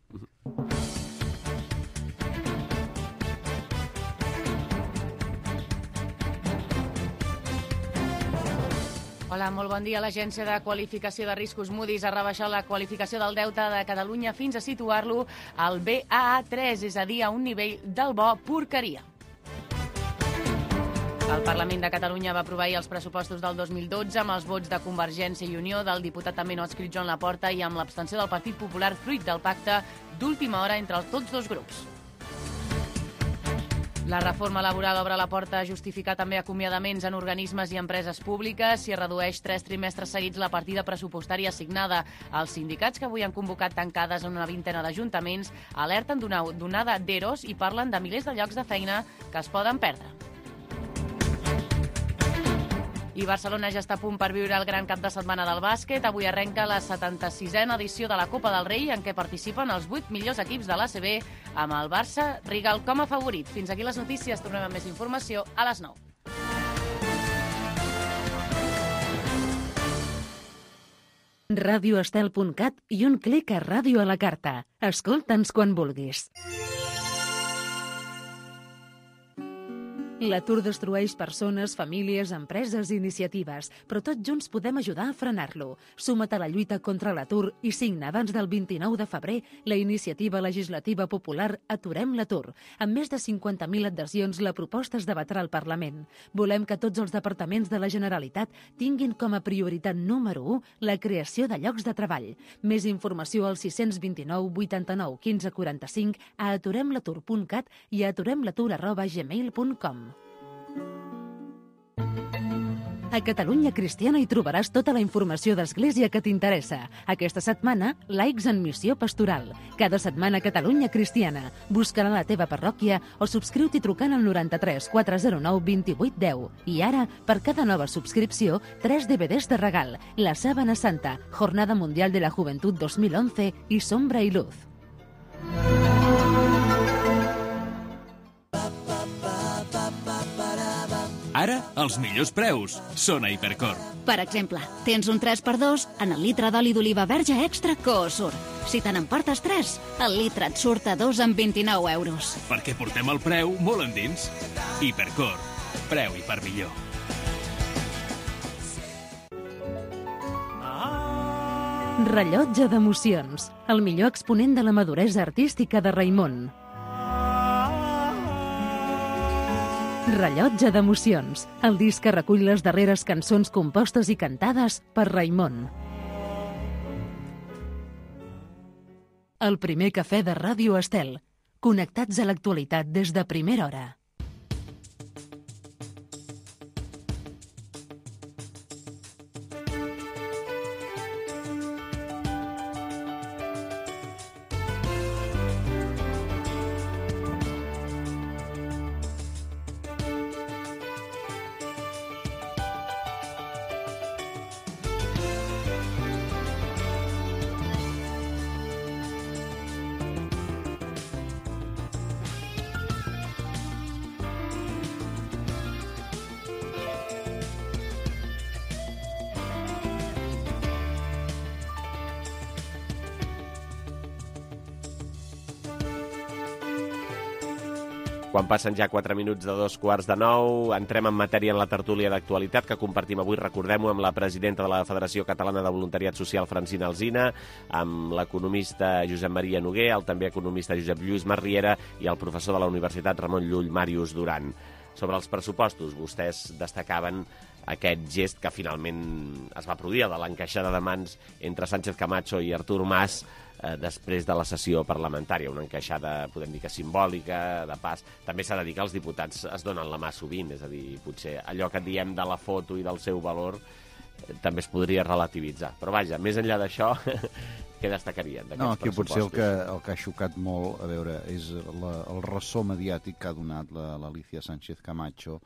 [SPEAKER 3] Hola, molt bon dia. L'Agència de Qualificació de Riscos Moody's ha rebaixat la qualificació del deute de Catalunya fins a situar-lo al Baa3, és a dir, a un nivell del bo porqueria. El Parlament de Catalunya va aprovar ahir els pressupostos del 2012 amb els vots de Convergència i Unió, del diputat també no adscrit Joan Laporta i amb l'abstenció del Partit Popular, fruit del pacte d'última hora entre tots dos grups. La reforma laboral obre la porta a justificar també acomiadaments en organismes i empreses públiques. S'hi redueix 3 trimestres seguits la partida pressupostària assignada. Els sindicats, que avui han convocat tancades en una vintena d'ajuntaments, alerten d'una onada d'EROs i parlen de milers de llocs de feina que es poden perdre. I Barcelona ja està a punt per viure el gran cap de setmana del bàsquet. Avui arrenca la 76a edició de la Copa del Rei, en què participen els 8 millors equips de l'ACB, amb el Barça Rigal com a favorit. Fins aquí les notícies. Tornem amb més informació a les 9.
[SPEAKER 1] radioestel.cat i un clic a Ràdio a la Carta. Escolta'ns quan vulguis. L'atur destrueix persones, famílies, empreses i iniciatives, però tots junts podem ajudar a frenar-lo. Suma't a la lluita contra l'atur i signa abans del 29 de febrer la iniciativa legislativa popular Aturem l'atur. Amb més de 50.000 adhesions, la proposta es debatrà al Parlament. Volem que tots els departaments de la Generalitat tinguin com a prioritat número 1 la creació de llocs de treball. Més informació al 629 89 15 45, a aturemlatur.cat i a aturemlatur@gmail.com. A Catalunya Cristiana hi trobaràs tota la informació d'Església que t'interessa. Aquesta setmana, laics en missió pastoral. Cada setmana Catalunya Cristiana. Busca-la a la teva parròquia o subscriu-t'hi trucant al 93 409 28 10. I ara, per cada nova subscripció, 3 DVDs de regal. La Sábana Santa, Jornada Mundial de la Juventud 2011 i Sombra i Luz.
[SPEAKER 7] Ara, els millors preus són a Hipercor.
[SPEAKER 16] Per exemple, tens un 3x2 en el litre d'oli d'oliva verge extra Coosur. Si te n'emportes 3, el litre et surt a 2 amb 29 euros.
[SPEAKER 7] Perquè portem el preu molt endins. Hipercor. Preu i per millor.
[SPEAKER 1] Rellotge d'emocions. El millor exponent de la maduresa artística de Raimon. Rellotge d'emocions, el disc que recull les darreres cançons compostes i cantades per Raimon. El primer cafè de Ràdio Estel. Connectats a l'actualitat des de primera hora.
[SPEAKER 2] Quan passen ja 4 minuts de 8:45, entrem en matèria en la tertúlia d'actualitat que compartim avui, recordem-ho, amb la presidenta de la Federació Catalana de Voluntariat Social, Francina Alsina, amb l'economista Josep Maria Noguer, el també economista Josep Lluís Marriera i el professor de la Universitat Ramon Llull, Màrius Duran. Sobre els pressupostos, vostès destacaven aquest gest que finalment es va produir, de l'encaixada de mans entre Sánchez Camacho i Artur Mas, després de la sessió parlamentària, una encaixada, podem dir que simbòlica, de pas. També s'ha de dir que els diputats es donen la mà sovint, és a dir, potser allò que diem de la foto i del seu valor també es podria relativitzar. Però vaja, més enllà d'això, què destacarien d'aquests
[SPEAKER 12] aquí
[SPEAKER 2] pressupostos?
[SPEAKER 12] potser el que ha xocat molt, a veure, és el ressò mediàtic que ha donat l'Alicia Sánchez Camacho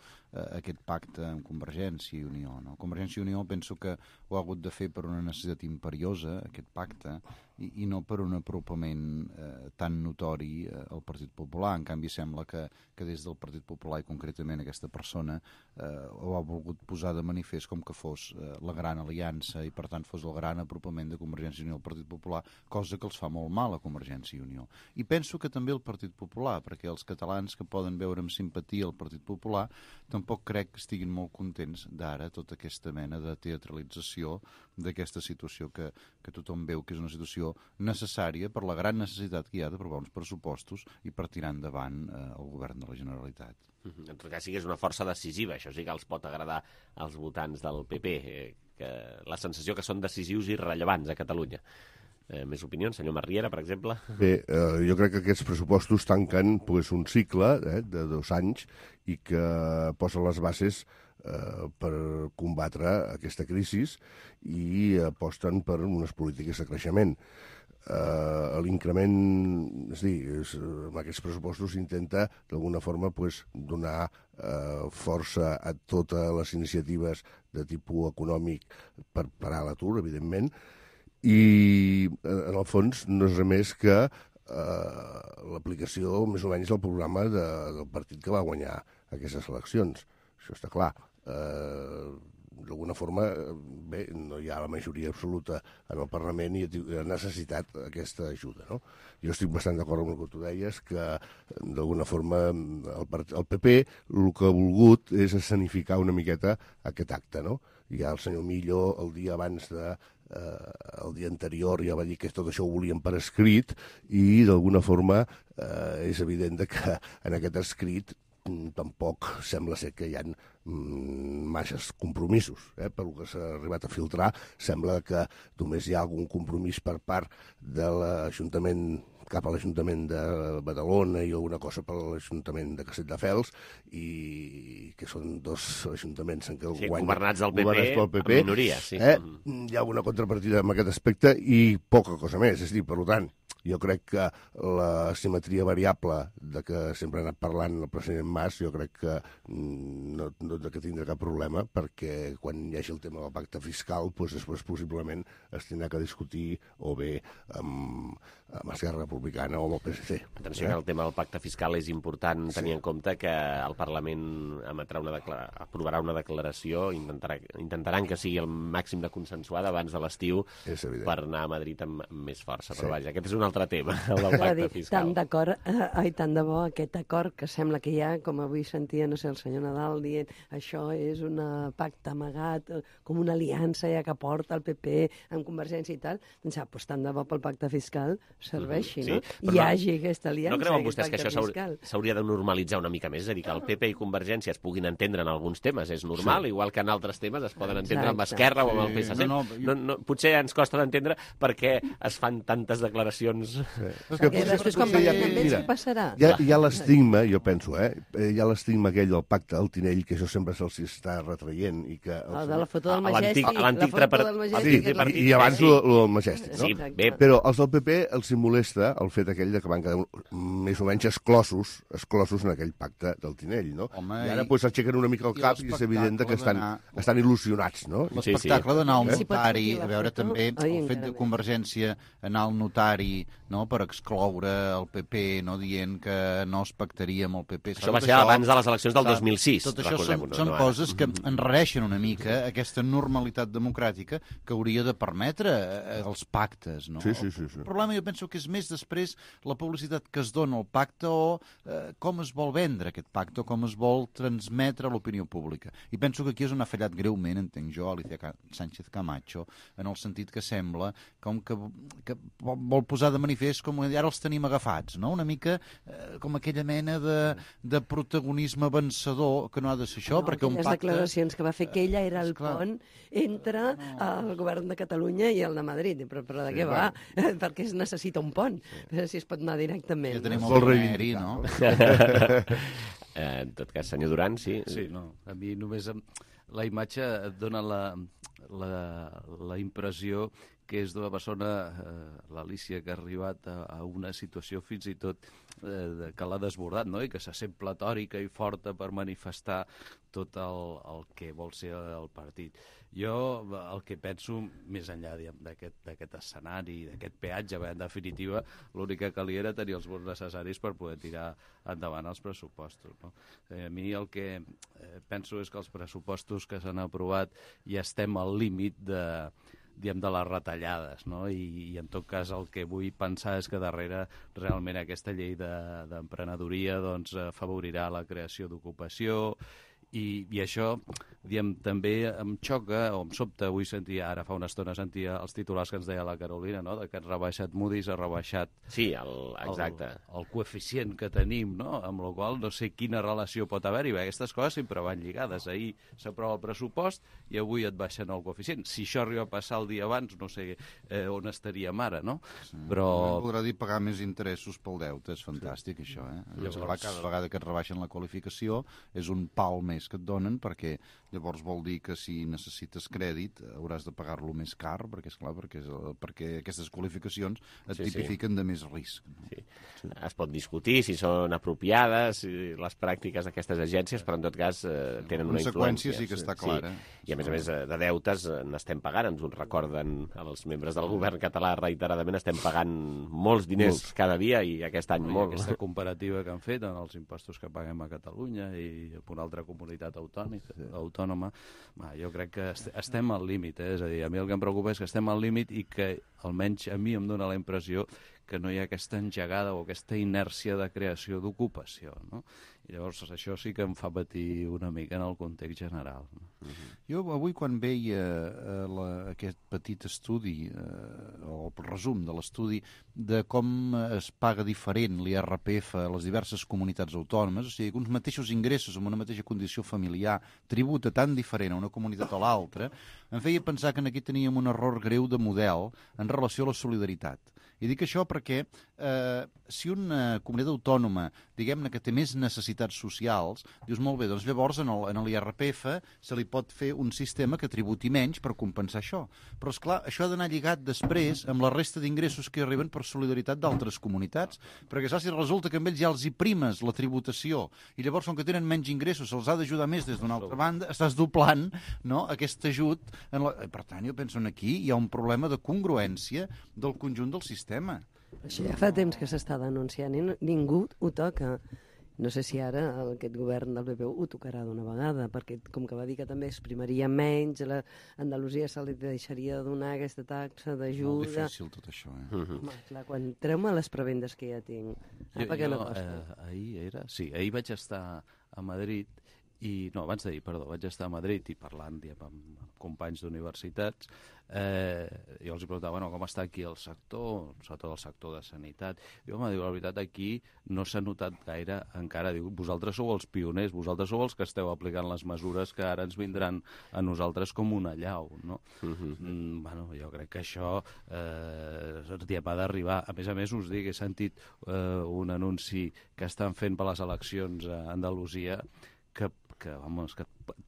[SPEAKER 12] aquest pacte amb Convergència i Unió. No? Convergència i Unió penso que ho ha hagut de fer per una necessitat imperiosa, aquest pacte, i no per un apropament tan notori al Partit Popular. En canvi, sembla que des del Partit Popular, i concretament aquesta persona, ho ha volgut posar de manifest com que fos la gran aliança i, per tant, fos el gran apropament de Convergència i Unió al Partit Popular, cosa que els fa molt mal a Convergència i Unió. I penso que també el Partit Popular, perquè els catalans que poden veure amb simpatia el Partit Popular tampoc crec que estiguin molt contents d'ara tota aquesta mena de teatralització d'aquesta situació que tothom veu que és una situació necessària per la gran necessitat que hi ha d'aprovar uns pressupostos i per tirar endavant el govern de la Generalitat.
[SPEAKER 2] En tot cas, sí que és una força decisiva, això sí que els pot agradar als votants del PP, que la sensació que són decisius i rellevants a Catalunya. Més opinions, senyor Marriera, per exemple?
[SPEAKER 13] Bé, jo crec que aquests pressupostos tanquen un cicle de 2 anys i que posen les bases per combatre aquesta crisi i aposten per unes polítiques de creixement. L'increment, és a dir, amb aquests pressupostos s'intenta d'alguna forma donar força a totes les iniciatives de tipus econòmic per parar l'atur, evidentment, i en el fons no és res més que l'aplicació més o menys del programa del partit que va guanyar aquestes eleccions. Això està clar. D'alguna forma, bé, no hi ha la majoria absoluta en el Parlament i ha necessitat aquesta ajuda, no? Jo estic bastant d'acord amb el que tu deies, que d'alguna forma el PP el que ha volgut és escenificar una miqueta aquest acte, no? Ja el senyor Millo, el dia abans el dia anterior ja va dir que tot això ho volien per escrit i d'alguna forma és evident que en aquest escrit tampoc sembla ser que hi ha masses compromisos. Pel que s'ha arribat a filtrar, sembla que només hi ha algun compromís per part de l'Ajuntament cap a l'Ajuntament de Badalona i alguna cosa per l'Ajuntament de Castelldefels, i que són 2 ajuntaments en què
[SPEAKER 2] governats del PP, en minoria, sí.
[SPEAKER 13] Hi ha una contrapartida en aquest aspecte i poca cosa més. És a dir, per tant, jo crec que la simetria variable de que sempre ha anat parlant el president Mas, jo crec que no que tindrà cap problema, perquè quan hi hagi el tema del pacte fiscal, després possiblement es tindrà que discutir o bé amb Esquerra Republicana o amb el PSC.
[SPEAKER 2] Atenció, que el tema del pacte fiscal és important tenir en compte que el Parlament aprovarà una declaració, intentaran que sigui el màxim de consensuada abans de l'estiu per anar a Madrid amb més força. Però vaja, aquest és un altre tema, el del pacte fiscal.
[SPEAKER 15] Tant de bo aquest acord que sembla que hi ha, com avui sentia, no sé, el senyor Nadal dient això és un pacte amagat, com una aliança ja que porta el PP amb Convergència i tal, doncs tant de bo pel pacte fiscal serveixi, no? I hi hagi aquesta aliança.
[SPEAKER 2] No creuen vostès que això s'hauria de normalitzar una mica més? És a dir, que el PP i Convergència es puguin entendre en alguns temes, és normal, igual que en altres temes es poden entendre amb Esquerra o amb el PSC. Potser ens costa d'entendre perquè es fan tantes declaracions.
[SPEAKER 15] Després quan parlem amb ells, què passarà?
[SPEAKER 13] Hi ha l'estigma, jo penso, hi ha l'estigma aquell del pacte del Tinell, que això sempre se'ls està retraient.
[SPEAKER 15] De la foto del Majestic.
[SPEAKER 13] I abans el del Majestic, no? Però els del PP els molesta el fet aquell que van quedar més o menys exclosos en aquell pacte del Tinell, no? I ara s'aixequen una mica el cap i és evident que estan il·lusionats, no?
[SPEAKER 12] L'espectacle d'anar al notari, a veure també el fet de Convergència anar al notari per excloure el PP, dient que no es pactaria amb el PP.
[SPEAKER 2] Això va ser abans de les eleccions del 2006.
[SPEAKER 12] Tot això són coses que enrareixen una mica aquesta normalitat democràtica que hauria de permetre els pactes. El problema jo penso que és més després la publicitat que es dona al pacte o com es vol vendre aquest pacte o com es vol transmetre a l'opinió pública. I penso que aquí és on ha fallat greument, entenc jo, Alicia Sánchez Camacho, en el sentit que sembla com que vol posar de manifest com ara els tenim agafats, no? Una mica com aquella mena de protagonisme vencedor, que no ha de ser això, perquè un pacte...
[SPEAKER 15] Les declaracions que va fer que ella era el pont entre el govern de Catalunya i el de Madrid. Però de què va? Perquè es necessita un pont, si es pot anar directament.
[SPEAKER 12] Ja tenim el Riveri, no?
[SPEAKER 2] En tot cas, senyor Duran, sí.
[SPEAKER 14] Sí, no. A mi només la imatge et dona la impressió que és d'una persona, l'Alícia, que ha arribat a una situació fins i tot que l'ha desbordat, no? I que se sent platòrica i forta per manifestar tot el que vol ser el partit. Jo el que penso, més enllà d'aquest escenari, d'aquest peatge, en definitiva, l'únic que calia era tenir els vots necessaris per poder tirar endavant els pressupostos, no? A mi el que penso és que els pressupostos que s'han aprovat ja estem al límit de les retallades, no? I en tot cas el que vull pensar és que darrere realment aquesta llei d'emprenedoria doncs, afavorirà la creació d'ocupació i això també em xoca o em sobta. Avui sentia, ara fa una estona sentia els titulars que ens deia la Carolina, no? De que han rebaixat Moody's, ha rebaixat
[SPEAKER 2] exacte.
[SPEAKER 14] El coeficient que tenim, no? Amb la qual no sé quina relació pot haver-hi. Aquestes coses sempre van lligades. Ahir s'aprova el pressupost i avui et baixen el coeficient. Si això arriba a passar el dia abans, no sé on estaríem ara, no? Però...
[SPEAKER 12] Voldrà dir pagar més interessos pel deute, és fantàstic, això, eh? Llavors... Cada vegada que et rebaixen la qualificació és un pal més que et donen, perquè llavors vol dir que si necessites crèdit hauràs de pagar-lo més car, perquè, esclar, perquè aquestes qualificacions et tipifiquen de més risc. No?
[SPEAKER 2] Sí. Es pot discutir si són apropiades les pràctiques d'aquestes agències, però en tot cas tenen una influència.
[SPEAKER 12] Sí que està clara.
[SPEAKER 2] I a més de deutes n'estem pagant, ens ho recorden els membres del govern català reiteradament, estem pagant molts diners cada dia i aquest any molt.
[SPEAKER 14] Aquesta comparativa que han fet en els impostos que paguem a Catalunya i a una altra comunitat autònoma, jo crec que estem al límit, és a dir, a mi el que em preocupa és que estem al límit i que almenys a mi em dona la impressió que no hi ha aquesta engegada o aquesta inèrcia de creació d'ocupació, no? I llavors això sí que em fa patir una mica en el context general. No?
[SPEAKER 12] Jo avui quan veia aquest petit estudi, o el resum de l'estudi, de com es paga diferent l'IRPF a les diverses comunitats autònomes, o sigui, que uns mateixos ingressos amb una mateixa condició familiar tributa tan diferent a una comunitat o l'altra, em feia pensar que aquí teníem un error greu de model en relació a la solidaritat. I dic això perquè si una comunitat autònoma, diguem-ne que té més necessitats socials, dius molt bé, doncs llavors en l'IRPF se li pot fer un sistema que tributi menys per compensar això. Però esclar, això ha d'anar lligat després amb la resta d'ingressos que arriben per solidaritat d'altres comunitats, perquè si resulta que amb ells ja els hi primes la tributació i llavors com que tenen menys ingressos se'ls ha d'ajudar més des d'una altra banda, estàs doblant, no, aquest ajut. Per tant, jo penso que aquí hi ha un problema de congruència del conjunt del sistema.
[SPEAKER 15] Això ja fa temps que s'està denunciant i ningú ho toca. No sé si ara aquest govern del PP ho tocarà d'una vegada, perquè com que va dir que també es primaria menys, a Andalusia se li deixaria de donar aquesta taxa d'ajuda...
[SPEAKER 12] Molt difícil tot això, eh?
[SPEAKER 15] Home, clar, quan treu-me les prebendes que ja tinc.
[SPEAKER 14] Ahir vaig estar a Madrid abans d'ahir, vaig estar a Madrid i parlant amb companys d'universitats, jo els preguntava com està aquí el sector, sobretot el sector de sanitat. Diu, la veritat, aquí no s'ha notat gaire encara. Diu, vosaltres sou els pioners, vosaltres sou els que esteu aplicant les mesures que ara ens vindran a nosaltres com una allau, no? Jo crec que això ha d'arribar. A més, us dic, he sentit un anunci que estan fent per les eleccions a Andalusia que et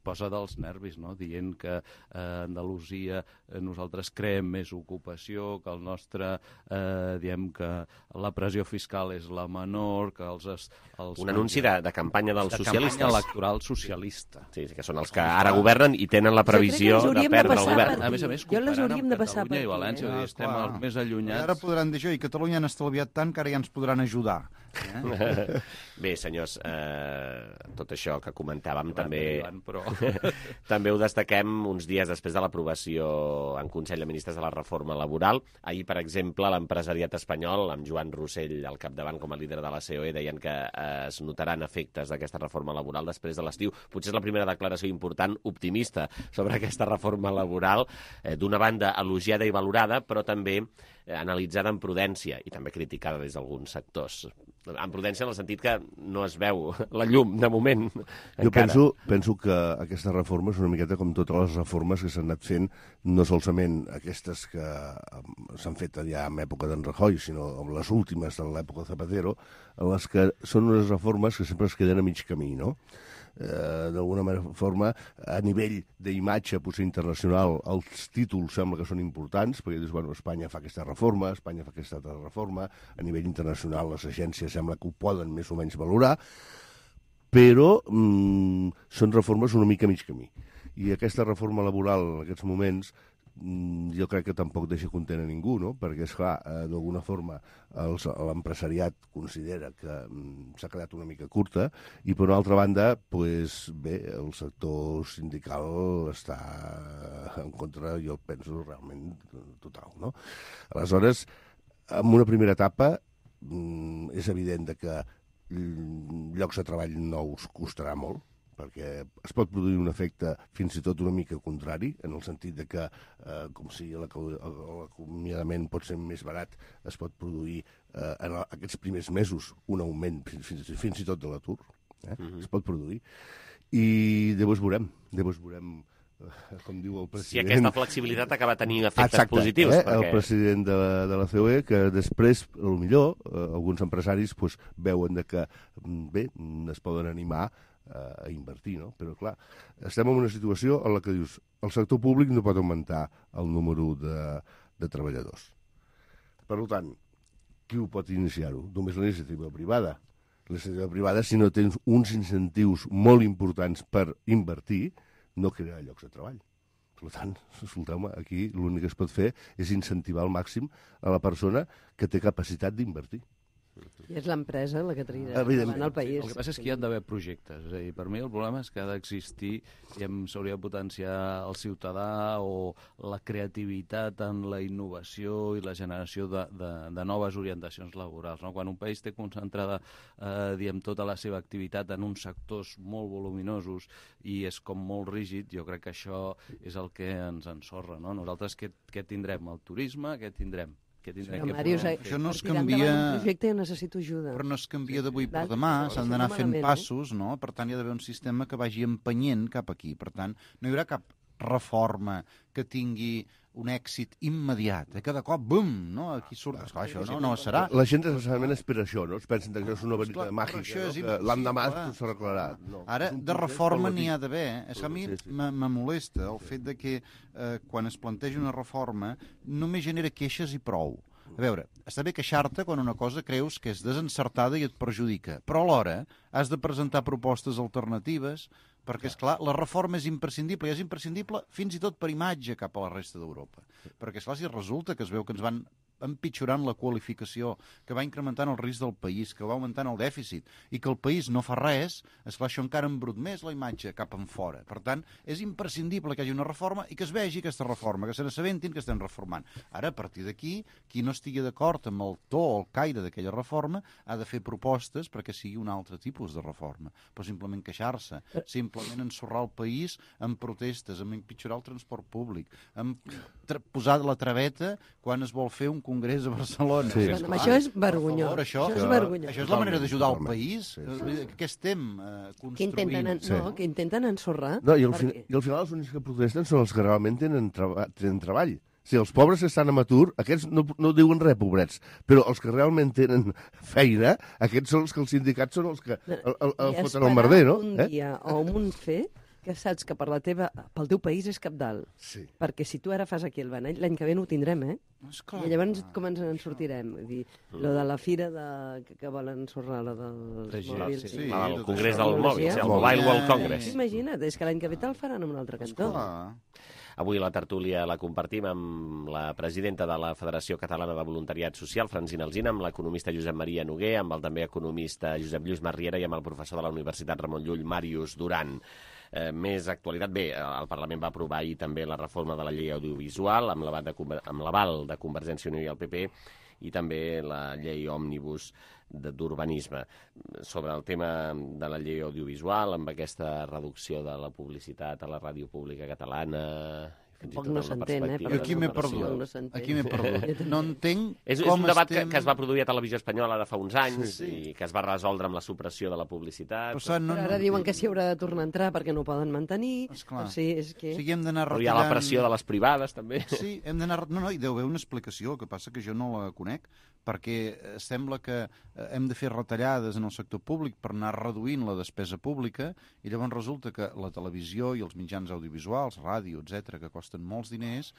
[SPEAKER 14] posa dels nervis, no? Dient que a Andalusia nosaltres creem més ocupació, que el nostre, diem que la pressió fiscal és la menor, que
[SPEAKER 2] un anunci de campanya dels socialistes.
[SPEAKER 14] De campanya electoral socialista.
[SPEAKER 2] Sí, que són els que ara governen i tenen la previsió de perdre el govern.
[SPEAKER 14] A més, comparant amb Catalunya i València, estem els més allunyats.
[SPEAKER 12] Ara podran dir això, i Catalunya han estalviat tant que ara ja ens podran ajudar.
[SPEAKER 2] Bé, senyors, tot això que comentàvem també...
[SPEAKER 14] però...
[SPEAKER 2] També ho destaquem uns dies després de l'aprovació en Consell de Ministres de la reforma laboral. Ahir, per exemple, l'empresariat espanyol, amb Joan Rossell al capdavant com a líder de la COE, deien que es notaran efectes d'aquesta reforma laboral després de l'estiu. Potser és la primera declaració important, optimista, sobre aquesta reforma laboral, d'una banda elogiada i valorada, però també analitzada amb prudència i també criticada des d'alguns sectors. Amb prudència en el sentit que no es veu la llum, de moment,
[SPEAKER 13] Jo
[SPEAKER 2] encara.
[SPEAKER 13] penso que aquesta reforma és una miqueta com totes les reformes que s'han anat fent, no solament aquestes que s'han fet ja en època d'en Rajoy, sinó les últimes de l'època de Zapatero, en les que són unes reformes que sempre es queden a mig camí, no? D'alguna forma, a nivell d'imatge potser internacional, els títols sembla que són importants, perquè dius, bueno, Espanya fa aquesta reforma, Espanya fa aquesta altra reforma, a nivell internacional les agències sembla que ho poden més o menys valorar, però són reformes una mica a mig camí. I aquesta reforma laboral en aquests moments jo crec que tampoc deixa content a ningú, no? Perquè, esclar, d'alguna forma l'empresariat considera que s'ha quedat una mica curta i, per una altra banda, pues, bé, el sector sindical està en contra, jo penso, realment total, no? Aleshores, en una primera etapa és evident que llocs de treball nous costarà molt, perquè es pot produir un efecte fins i tot una mica contrari, en el sentit de que, com si l'acomiadament pot ser més barat, es pot produir en aquests primers mesos un augment fins i tot de l'atur, es pot produir, i llavors veurem, com diu el president...
[SPEAKER 2] Si aquesta flexibilitat acaba tenint efectes positius.
[SPEAKER 13] Perquè... El president de la COE, que després, potser, alguns empresaris veuen que bé, es poden animar a invertir, no? Però, clar, estem en una situació en la que dius el sector públic no pot augmentar el número de treballadors. Per tant, qui ho pot iniciar-ho? Només la iniciativa privada. La iniciativa privada, si no tens uns incentius molt importants per invertir, no crearà llocs de treball. Per tant, escolteu-me, aquí l'únic que es pot fer és incentivar al màxim a la persona que té capacitat d'invertir.
[SPEAKER 15] I és l'empresa la que tria endavant el país.
[SPEAKER 14] El que passa és que hi ha d'haver projectes. És a dir, per mi el problema és que ha d'existir i s'hauria de potenciar el ciutadà o la creativitat en la innovació i la generació de noves orientacions laborals. No? Quan un país té concentrada tota la seva activitat en uns sectors molt voluminosos i és com molt rígid, jo crec que això és el que ens ensorra. No? Nosaltres què tindrem? El turisme? Què tindrem?
[SPEAKER 15] Això no es canvia... Un projecte jo necessito ajuda.
[SPEAKER 12] Però no es canvia d'avui per demà, s'han d'anar fent passos, no? Per tant, hi ha d'haver un sistema que vagi empenyent cap aquí. Per tant, no hi haurà cap reforma que tingui un èxit immediat, que de cop, bum, no? Aquí surt... Esclar, això no serà.
[SPEAKER 13] La gent necessàriament espera això, no? Es pensen que això és una varita màgica, que l'endemà s'arreglarà.
[SPEAKER 12] Ara, de reforma n'hi ha d'haver. És que a mi me molesta el fet de que quan es planteja una reforma només genera queixes i prou. A veure, està bé queixar-te quan una cosa creus que és desencertada i et perjudica, però alhora has de presentar propostes alternatives perquè, esclar, la reforma és imprescindible, i és imprescindible fins i tot per imatge cap a la resta d'Europa. Perquè, esclar, si resulta que es veu que ens van empitjorant la qualificació, que va incrementant el risc del país, que va augmentant el dèficit, i que el país no fa res, esclar, això encara embrut més la imatge cap en fora. Per tant, és imprescindible que hi hagi una reforma i que es vegi aquesta reforma, que se n'assabentin que estem reformant. Ara, a partir d'aquí, qui no estigui d'acord amb el to o el caire d'aquella reforma ha de fer propostes perquè sigui un altre tipus de reforma. Però simplement queixar-se, simplement ensorrar el país amb protestes, amb empitjorar el transport públic, amb posar la traveta quan es vol fer un congrés a Barcelona.
[SPEAKER 15] Sí. Això és vergonyós.
[SPEAKER 12] Això és la manera d'ajudar el país. Què estem construint?
[SPEAKER 15] Que intenten ensorrar.
[SPEAKER 13] No, i al final els únics que protesten són els que realment tenen treball. Si els pobres que estan en atur, aquests no diuen res, pobrets, però els que realment tenen feina, aquests són els que els sindicats són els que el foten al merder, no?
[SPEAKER 15] Un dia o un fet que saps que pel teu país és cabdal.
[SPEAKER 13] Sí.
[SPEAKER 15] Perquè si tu ara fas aquí el benall, l'any que ve no ho tindrem,
[SPEAKER 12] Esclar.
[SPEAKER 15] I llavors com ens en sortirem? Vull dir, lo de la fira que volen ensorrar, lo dels mòbils.
[SPEAKER 2] Sí, el congrés del mòbil, el Mobile World Congress.
[SPEAKER 15] Imagina't, és que l'any que ve te'l faran en un altre cantó.
[SPEAKER 2] Avui la tertúlia la compartim amb la presidenta de la Federació Catalana de Voluntariat Social, Francina Alsina, amb l'economista Josep Maria Noguer, amb el també economista Josep Lluís Marriera i amb el professor de la Universitat Ramon Llull, Màrius Duran. Més actualitat. Bé, el Parlament va aprovar ahir també la reforma de la llei audiovisual amb l'aval de Convergència i Unió i el PP, i també la llei òmnibus d'urbanisme. Sobre el tema de la llei audiovisual, amb aquesta reducció de la publicitat a la ràdio pública catalana...
[SPEAKER 15] Tampoc no s'entén,
[SPEAKER 12] Aquí m'he perdut. No entenc
[SPEAKER 2] és un debat que es va produir a Televisió Espanyola de fa uns anys i que es va resoldre amb la supressió de la publicitat.
[SPEAKER 15] Però ara diuen que s'hi haurà de tornar a entrar perquè no ho poden mantenir.
[SPEAKER 12] Hem d'anar retirant...
[SPEAKER 2] Però hi ha la pressió de les privades, també.
[SPEAKER 12] Sí, hem d'anar... No, hi deu haver una explicació, el que passa que jo no la conec, perquè sembla que hem de fer retallades en el sector públic per anar reduint la despesa pública i llavors resulta que la televisió i els mitjans audiovisuals, ràdio, etc., que costen molts diners,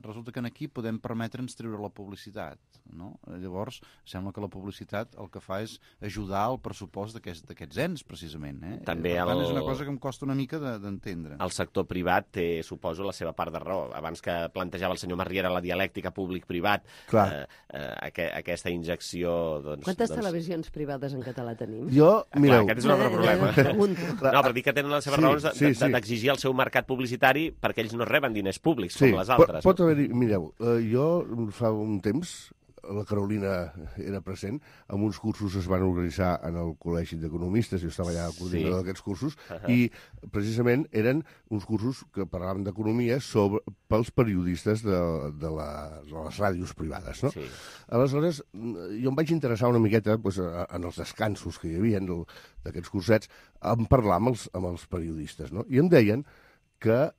[SPEAKER 12] resulta que aquí podem permetre'ns treure la publicitat, no? Llavors, sembla que la publicitat el que fa és ajudar al pressupost d'aquests ens, precisament.
[SPEAKER 2] També
[SPEAKER 12] per tant, és una cosa que em costa una mica d'entendre.
[SPEAKER 2] El sector privat té, suposo, la seva part de raó. Abans que plantejava el senyor Marriera la dialèctica públic-privat, aquesta injecció...
[SPEAKER 15] Quantes televisions privades en català tenim?
[SPEAKER 2] Mireu... Aquest és un altre problema. No, però dic que tenen les seves raons d'exigir el seu mercat publicitari perquè ells no reben diners públics, com les altres.
[SPEAKER 13] Pot haver-hi... Mireu, jo fa un temps, la Carolina era present, amb uns cursos es van organitzar en el Col·legi d'Economistes, jo estava allà coordinador d'aquests cursos, i precisament eren uns cursos que parlaven d'economia pels periodistes de les ràdios privades, no? Aleshores, jo em vaig interessar una miqueta en els descansos que hi havia d'aquests cursets, en parlar amb els periodistes, no? I em deien que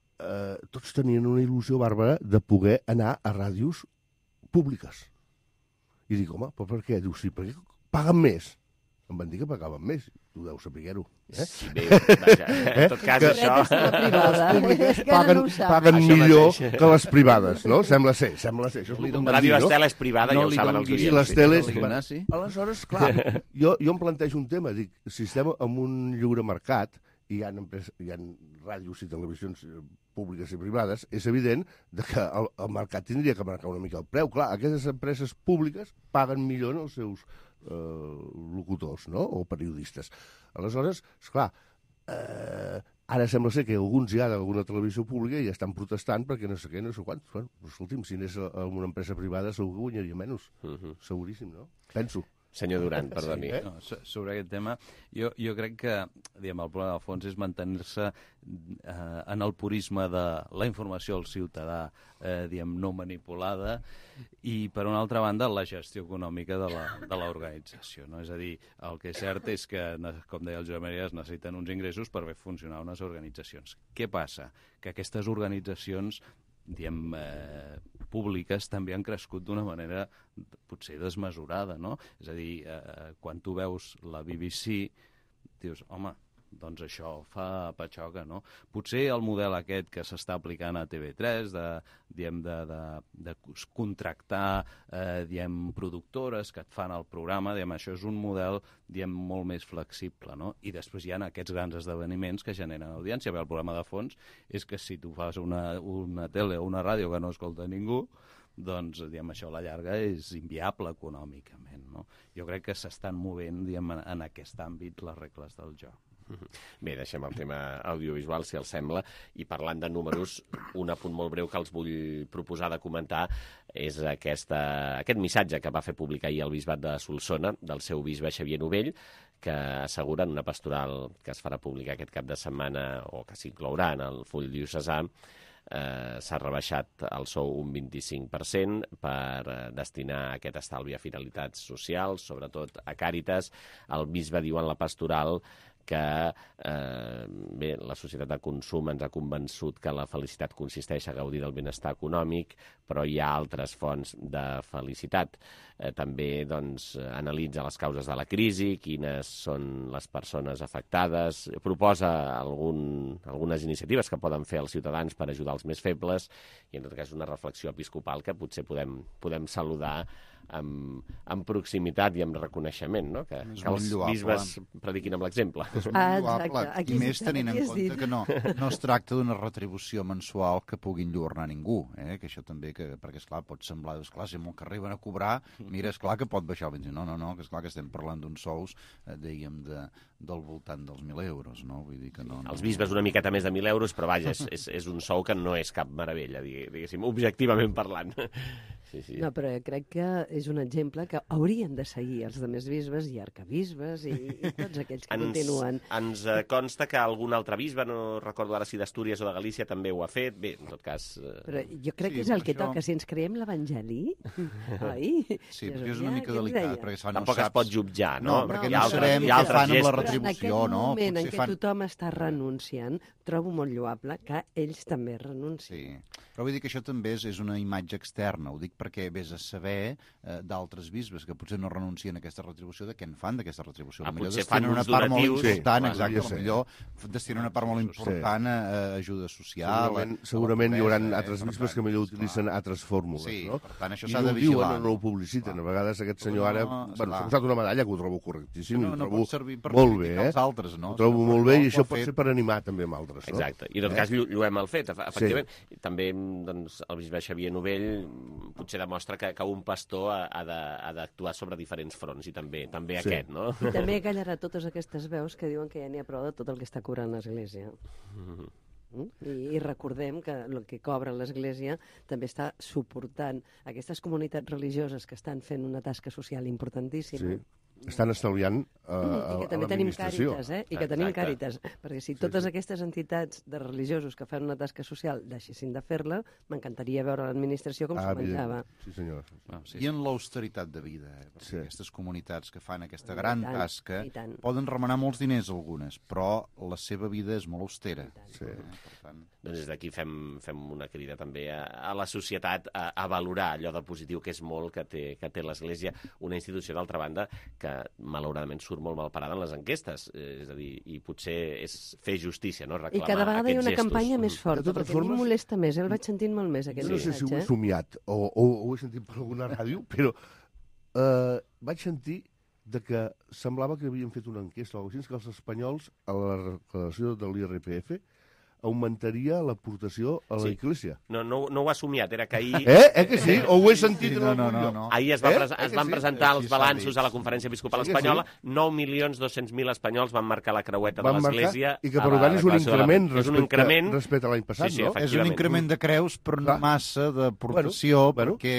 [SPEAKER 13] tots tenien una il·lusió bàrbara de poder anar a ràdios públiques. I dic, home, però per què? Diu, sí, perquè paguen més. Em van dir que pagaven més. Tu deus saber-ho.
[SPEAKER 2] Sí, bé, vaja, en tot cas, això...
[SPEAKER 13] Les públiques paguen millor que les privades, no? Sembla ser.
[SPEAKER 2] Ràdio Estela és privada, ja ho saben els
[SPEAKER 13] oients. I les teles... Aleshores, clar, jo em plantejo un tema. Dic, si estem en un lliure mercat, hi ha ràdios i televisions públiques i privades, és evident que el mercat tindria que marcar una mica el preu. Clar, aquestes empreses públiques paguen millor els seus locutors, no?, o periodistes. Aleshores, esclar, ara sembla ser que alguns ja d'alguna televisió pública ja estan protestant perquè no sé què, no sé quants. Bueno, escolti'm, si anés a una empresa privada segur que guanyaria menys. Seguríssim, no? Penso.
[SPEAKER 2] Senyor Duran, perdoni.
[SPEAKER 14] Sobre aquest tema, jo crec que el problema de fons és mantenir-se en el purisme de la informació al ciutadà, no manipulada, i, per una altra banda, la gestió econòmica de l'organització. És a dir, el que és cert és que, com deia el Josep Maria, es necessiten uns ingressos per fer funcionar unes organitzacions. Què passa? Que aquestes organitzacions públiques també han crescut d'una manera potser desmesurada, no? És a dir, quan tu veus la BBC, dius, home, doncs això fa patxoca, no? Potser el model aquest que s'està aplicant a TV3 de contractar productores que et fan el programa, això és un model molt més flexible, no? I després hi ha aquests grans esdeveniments que generen audiència. El problema de fons és que si tu fas una tele o una ràdio que no escolta ningú, doncs, això a la llarga és inviable econòmicament, no? Jo crec que s'estan movent, en aquest àmbit les regles del joc.
[SPEAKER 2] Bé, deixem el tema audiovisual, si els sembla, i parlant de números, un apunt molt breu que els vull proposar de comentar és aquest missatge que va fer publicar ahir el bisbat de Solsona, del seu bisbe Xavier Novell, que assegura en una pastoral que es farà pública aquest cap de setmana, o que s'inclourà en el full diocesà, s'ha rebaixat el sou un 25% per destinar aquest estalvi a finalitats socials, sobretot a Càritas. El bisbe diu en la pastoral que la societat de consum ens ha convençut que la felicitat consisteix a gaudir del benestar econòmic, però hi ha altres fonts de felicitat. També analitza les causes de la crisi, quines són les persones afectades, proposa algunes iniciatives que poden fer els ciutadans per ajudar els més febles, i en tot cas una reflexió episcopal que potser podem saludar amb proximitat i amb reconeixement, no? Que els bisbes prediquin amb l'exemple.
[SPEAKER 12] És molt lloable, i més tenint en compte que no es tracta d'una retribució mensual que pugui enlluernar ningú, que això també, perquè esclar, pot semblar, esclar, si molt que arriben a cobrar, mira, esclar que pot baixar el 20. No, que esclar que estem parlant d'uns sous, dèiem, del voltant dels 1.000 euros, no? Vull dir que no...
[SPEAKER 2] Els bisbes una miqueta més de 1.000 euros, però vaja, és un sou que no és cap meravella, diguéssim, objectivament parlant. Sí.
[SPEAKER 15] No, però crec que és un exemple que haurien de seguir els altres bisbes i arcabisbes i tots aquells que continuen.
[SPEAKER 2] Ens consta que algun altre bisbe, no recordo ara si d'Astúries o de Galícia, també ho ha fet. Bé, en tot cas...
[SPEAKER 15] Però jo crec que és el que toca. Si ens creiem l'Evangeli, oi?
[SPEAKER 12] Sí, però és una mica delicat, perquè
[SPEAKER 2] tampoc es pot jutjar, no?
[SPEAKER 12] Perquè no sabem què fan amb la retribució, no?
[SPEAKER 15] En aquest moment en què tothom està renunciant, trobo molt lloable que ells també renuncien.
[SPEAKER 12] Sí, però vull dir que això també és una imatge externa, ho dic perquè vés a saber d'altres bisbes que potser no renuncien a aquesta retribució, de què en fan d'aquesta retribució.
[SPEAKER 2] Potser fan uns donatius.
[SPEAKER 12] Destinen una part molt important a ajuda social.
[SPEAKER 13] Segurament hi haurà altres bisbes que millor utilitzen altres fórmules, no?
[SPEAKER 12] Per tant, això s'ha de vigilar.
[SPEAKER 13] I no ho publiciten. A vegades aquest senyor ara... Bueno, s'ha posat una medalla que ho trobo correctíssim.
[SPEAKER 12] No pot servir per
[SPEAKER 13] molt bé,
[SPEAKER 12] els altres, no?
[SPEAKER 13] Ho trobo molt bé i això pot ser per animar també amb altres, no?
[SPEAKER 2] Exacte. I en tot cas lluem el fet, efectivament. També el bisbe Xavier Novell potser demostra que un pastor ha d'actuar sobre diferents fronts, i també aquest, no?
[SPEAKER 15] I també callarà totes aquestes veus que diuen que ja n'hi ha prou de tot el que està cobrant l'Església. I recordem que el que cobra l'Església també està suportant aquestes comunitats religioses que estan fent una tasca social importantíssima.
[SPEAKER 13] Sí. Estan estalviant a l'administració.
[SPEAKER 15] I que també tenim Càritas, I que tenim Càritas. Perquè si totes aquestes entitats de religiosos que fan una tasca social deixessin de fer-la, m'encantaria veure l'administració com s'ho menjava.
[SPEAKER 13] Sí, senyor.
[SPEAKER 12] I en l'austeritat de vida, aquestes comunitats que fan aquesta gran tasca poden remenar molts diners algunes, però la seva vida és molt austera.
[SPEAKER 2] Doncs des d'aquí fem una crida també a la societat a valorar allò de positiu que és molt que té l'Església, una institució d'altra banda que malauradament surt molt mal parada en les enquestes, és a dir, i potser és fer justícia, no? Reclamar
[SPEAKER 15] i cada vegada hi ha una
[SPEAKER 2] gestos.
[SPEAKER 15] Campanya més forta, perquè a mi em molesta més, el vaig sentint molt més, aquest missatge.
[SPEAKER 13] No sé si ho he somiat o ho he sentit per alguna ràdio, però vaig sentir que semblava que havien fet una enquesta o així, que els espanyols, a la declaració de l'IRPF, augmentaria l'aportació a l'Església.
[SPEAKER 2] No ho ha somiat, era que ahir...
[SPEAKER 13] Que sí? O ho he sentit en algun lloc?
[SPEAKER 2] Ahir es van presentar els balanços a la Conferència Episcopal Espanyola, 9.200.000 espanyols van marcar la creueta de l'Església.
[SPEAKER 13] I que per tant és un increment respecte a l'any passat, no?
[SPEAKER 12] És un increment de creus, però no massa d'aportació, perquè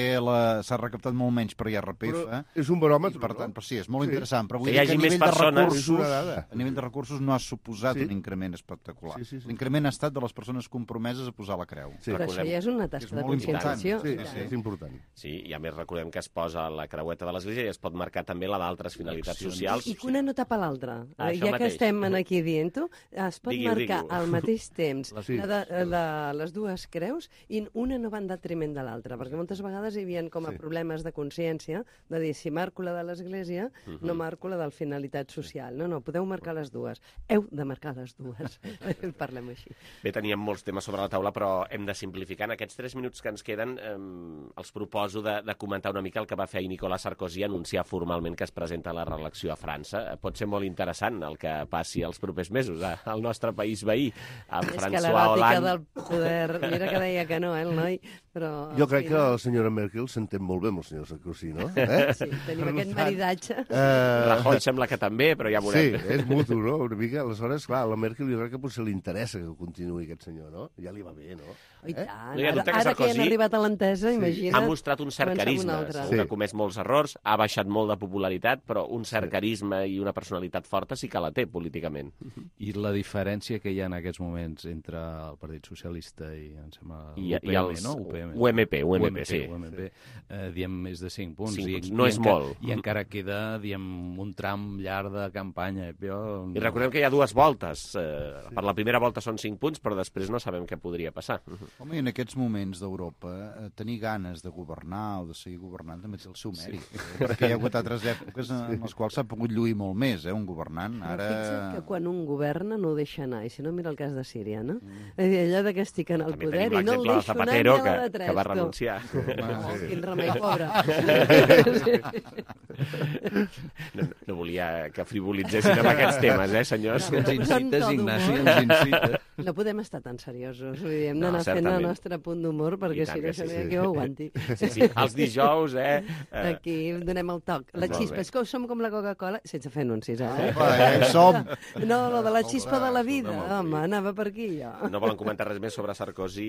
[SPEAKER 12] s'ha recaptat molt menys per IRPF.
[SPEAKER 13] És un baròmetre,
[SPEAKER 12] per tant, sí, és molt interessant, però vull
[SPEAKER 2] dir que
[SPEAKER 12] a nivell de recursos no ha suposat un increment espectacular. L'increment ha estat de les persones compromeses a posar la creu.
[SPEAKER 15] Però això ja és una tasca de conscienciació.
[SPEAKER 13] Sí, és important.
[SPEAKER 2] Sí, i a més recordem que es posa la creueta de l'Església i es pot marcar també la d'altres finalitats socials.
[SPEAKER 15] I que una no tapa l'altra. Ja que estem aquí dient-ho, es pot marcar al mateix temps les dues creus i una no va en detriment de l'altra, perquè moltes vegades hi havia com a problemes de consciència de dir, si marco la de l'Església, no marco la de la finalitat social. No, podeu marcar les dues. Heu de marcar les dues. Parlem així.
[SPEAKER 2] Bé, teníem molts temes sobre la taula, però hem de simplificar. En aquests 3 minuts que ens queden, els proposo de comentar una mica el que va fer ahir Nicolas Sarkozy, anunciar formalment que es presenta a la reelecció a França. Pot ser molt interessant el que passi els propers mesos al nostre país veí, amb François Hollande. És que
[SPEAKER 15] l'eròtica del poder... Mira que deia que no, el noi, però...
[SPEAKER 13] Jo crec que la senyora Merkel s'entén molt bé amb el senyor Sarkozy, no?
[SPEAKER 15] Sí, tenim aquest maridatge.
[SPEAKER 2] Rajoy sembla que també, però ja veurem.
[SPEAKER 13] Sí, és mutu, no? Una mica, aleshores, clar, a la Merkel jo crec que potser li interessa que continuï aquest senyor, no? Ja li va bé, no?
[SPEAKER 15] I tant. Ara que han arribat a l'entesa, imagina't...
[SPEAKER 2] Ha mostrat un cert carisma, segur que ha comès molts errors, ha baixat molt de popularitat, però un cert carisma i una personalitat forta sí que la té políticament.
[SPEAKER 14] I la diferència que hi ha en aquests moments entre el Partit Socialista i, em sembla,
[SPEAKER 2] l'UPM,
[SPEAKER 14] no?
[SPEAKER 2] UMP, sí.
[SPEAKER 14] Diem més de 5 punts.
[SPEAKER 2] No és molt.
[SPEAKER 14] I encara queda, un tram llarg de campanya.
[SPEAKER 2] I recordem que hi ha 2 voltes. Per la primera volta són 5 punts, però després no sabem què podria passar.
[SPEAKER 12] Home, en aquests moments d'Europa, tenir ganes de governar o de seguir governant també té el seu mèrit. Sí. Perquè hi ha hagut altres èpoques en les quals s'ha pogut lluir molt més, un governant. Ara...
[SPEAKER 15] Fixa't que quan un governa no ho deixa anar, i si no mira el cas de Síria, no? És dir, allò que estic en el poder i no el deixo anar ni a la de tres.
[SPEAKER 2] Que va renunciar.
[SPEAKER 15] Quin remei, pobre.
[SPEAKER 2] No volia que frivolitzessin amb aquests temes, senyors?
[SPEAKER 14] Ens incites, Ignasi, ens incites.
[SPEAKER 15] No podem estar tan seriosos, vull dir, hem d'anar fent el nostre punt d'humor, perquè si no això que ho aguanti.
[SPEAKER 2] Sí, els dijous,
[SPEAKER 15] Aquí donem el toc. La xispa, és que som com la Coca-Cola, sense fer anuncis,
[SPEAKER 12] Som!
[SPEAKER 15] No, lo de la xispa de la vida, home, anava per aquí, jo.
[SPEAKER 2] No volen comentar res més sobre Sarkozy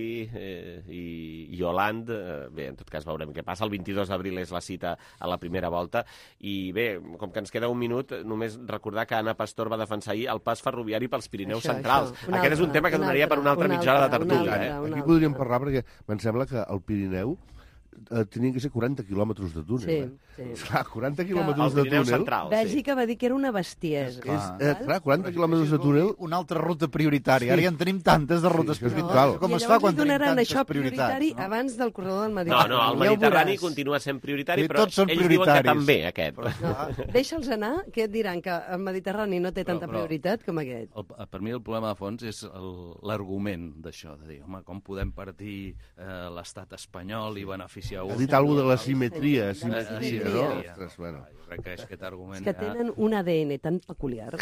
[SPEAKER 2] i Hollande. Bé, en tot cas veurem què passa. El 22 d'abril és la cita a la primera volta. I bé, com que ens queda un minut, només recordar que Anna Pastor va defensar ahir el pas ferroviari pels Pirineus Centrals. Aquest és un tema que donaria per una altra mitja hora de tertúlia.
[SPEAKER 13] Aquí podríem parlar perquè em sembla que el Pirineu tenien que ser 40 quilòmetres de túnel.
[SPEAKER 15] Sí.
[SPEAKER 13] Clar, 40 quilòmetres de túnel.
[SPEAKER 15] Bèlgica va dir que era una bestiesa.
[SPEAKER 13] Clar, 40 quilòmetres de túnel...
[SPEAKER 12] Una altra ruta prioritària. Ara ja en tenim tantes de rutes prioritàries. Com es fa quan tenim tantes
[SPEAKER 15] prioritari abans del corredor del Mediterrani.
[SPEAKER 2] No, el Mediterrani continua sent prioritari, però ells diuen que també, aquest.
[SPEAKER 15] Deixa'ls anar, que et diran que el Mediterrani no té tanta prioritat com aquest.
[SPEAKER 14] Per mi el problema de fons és l'argument d'això, de dir, home, com podem partir l'estat espanyol i beneficiar
[SPEAKER 13] ha dit alguna de la simetria, no?
[SPEAKER 14] Ostres, bueno. Jo crec que aquest argument...
[SPEAKER 15] És que tenen un ADN tan peculiar.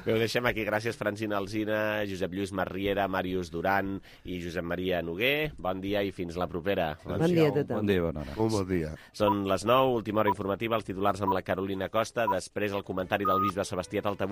[SPEAKER 2] Bé, ho deixem aquí. Gràcies, Francina Alsina, Josep Lluís Marriera, Màrius Duran i Josep Maria Noguer. Bon dia i fins la propera.
[SPEAKER 15] Bon dia a tothom.
[SPEAKER 14] Bon dia, bona hora.
[SPEAKER 13] Bon dia.
[SPEAKER 2] Són les 9, última hora informativa, els titulars amb la Carolina Costa, després el comentari del bisbe Sebastià Taltabú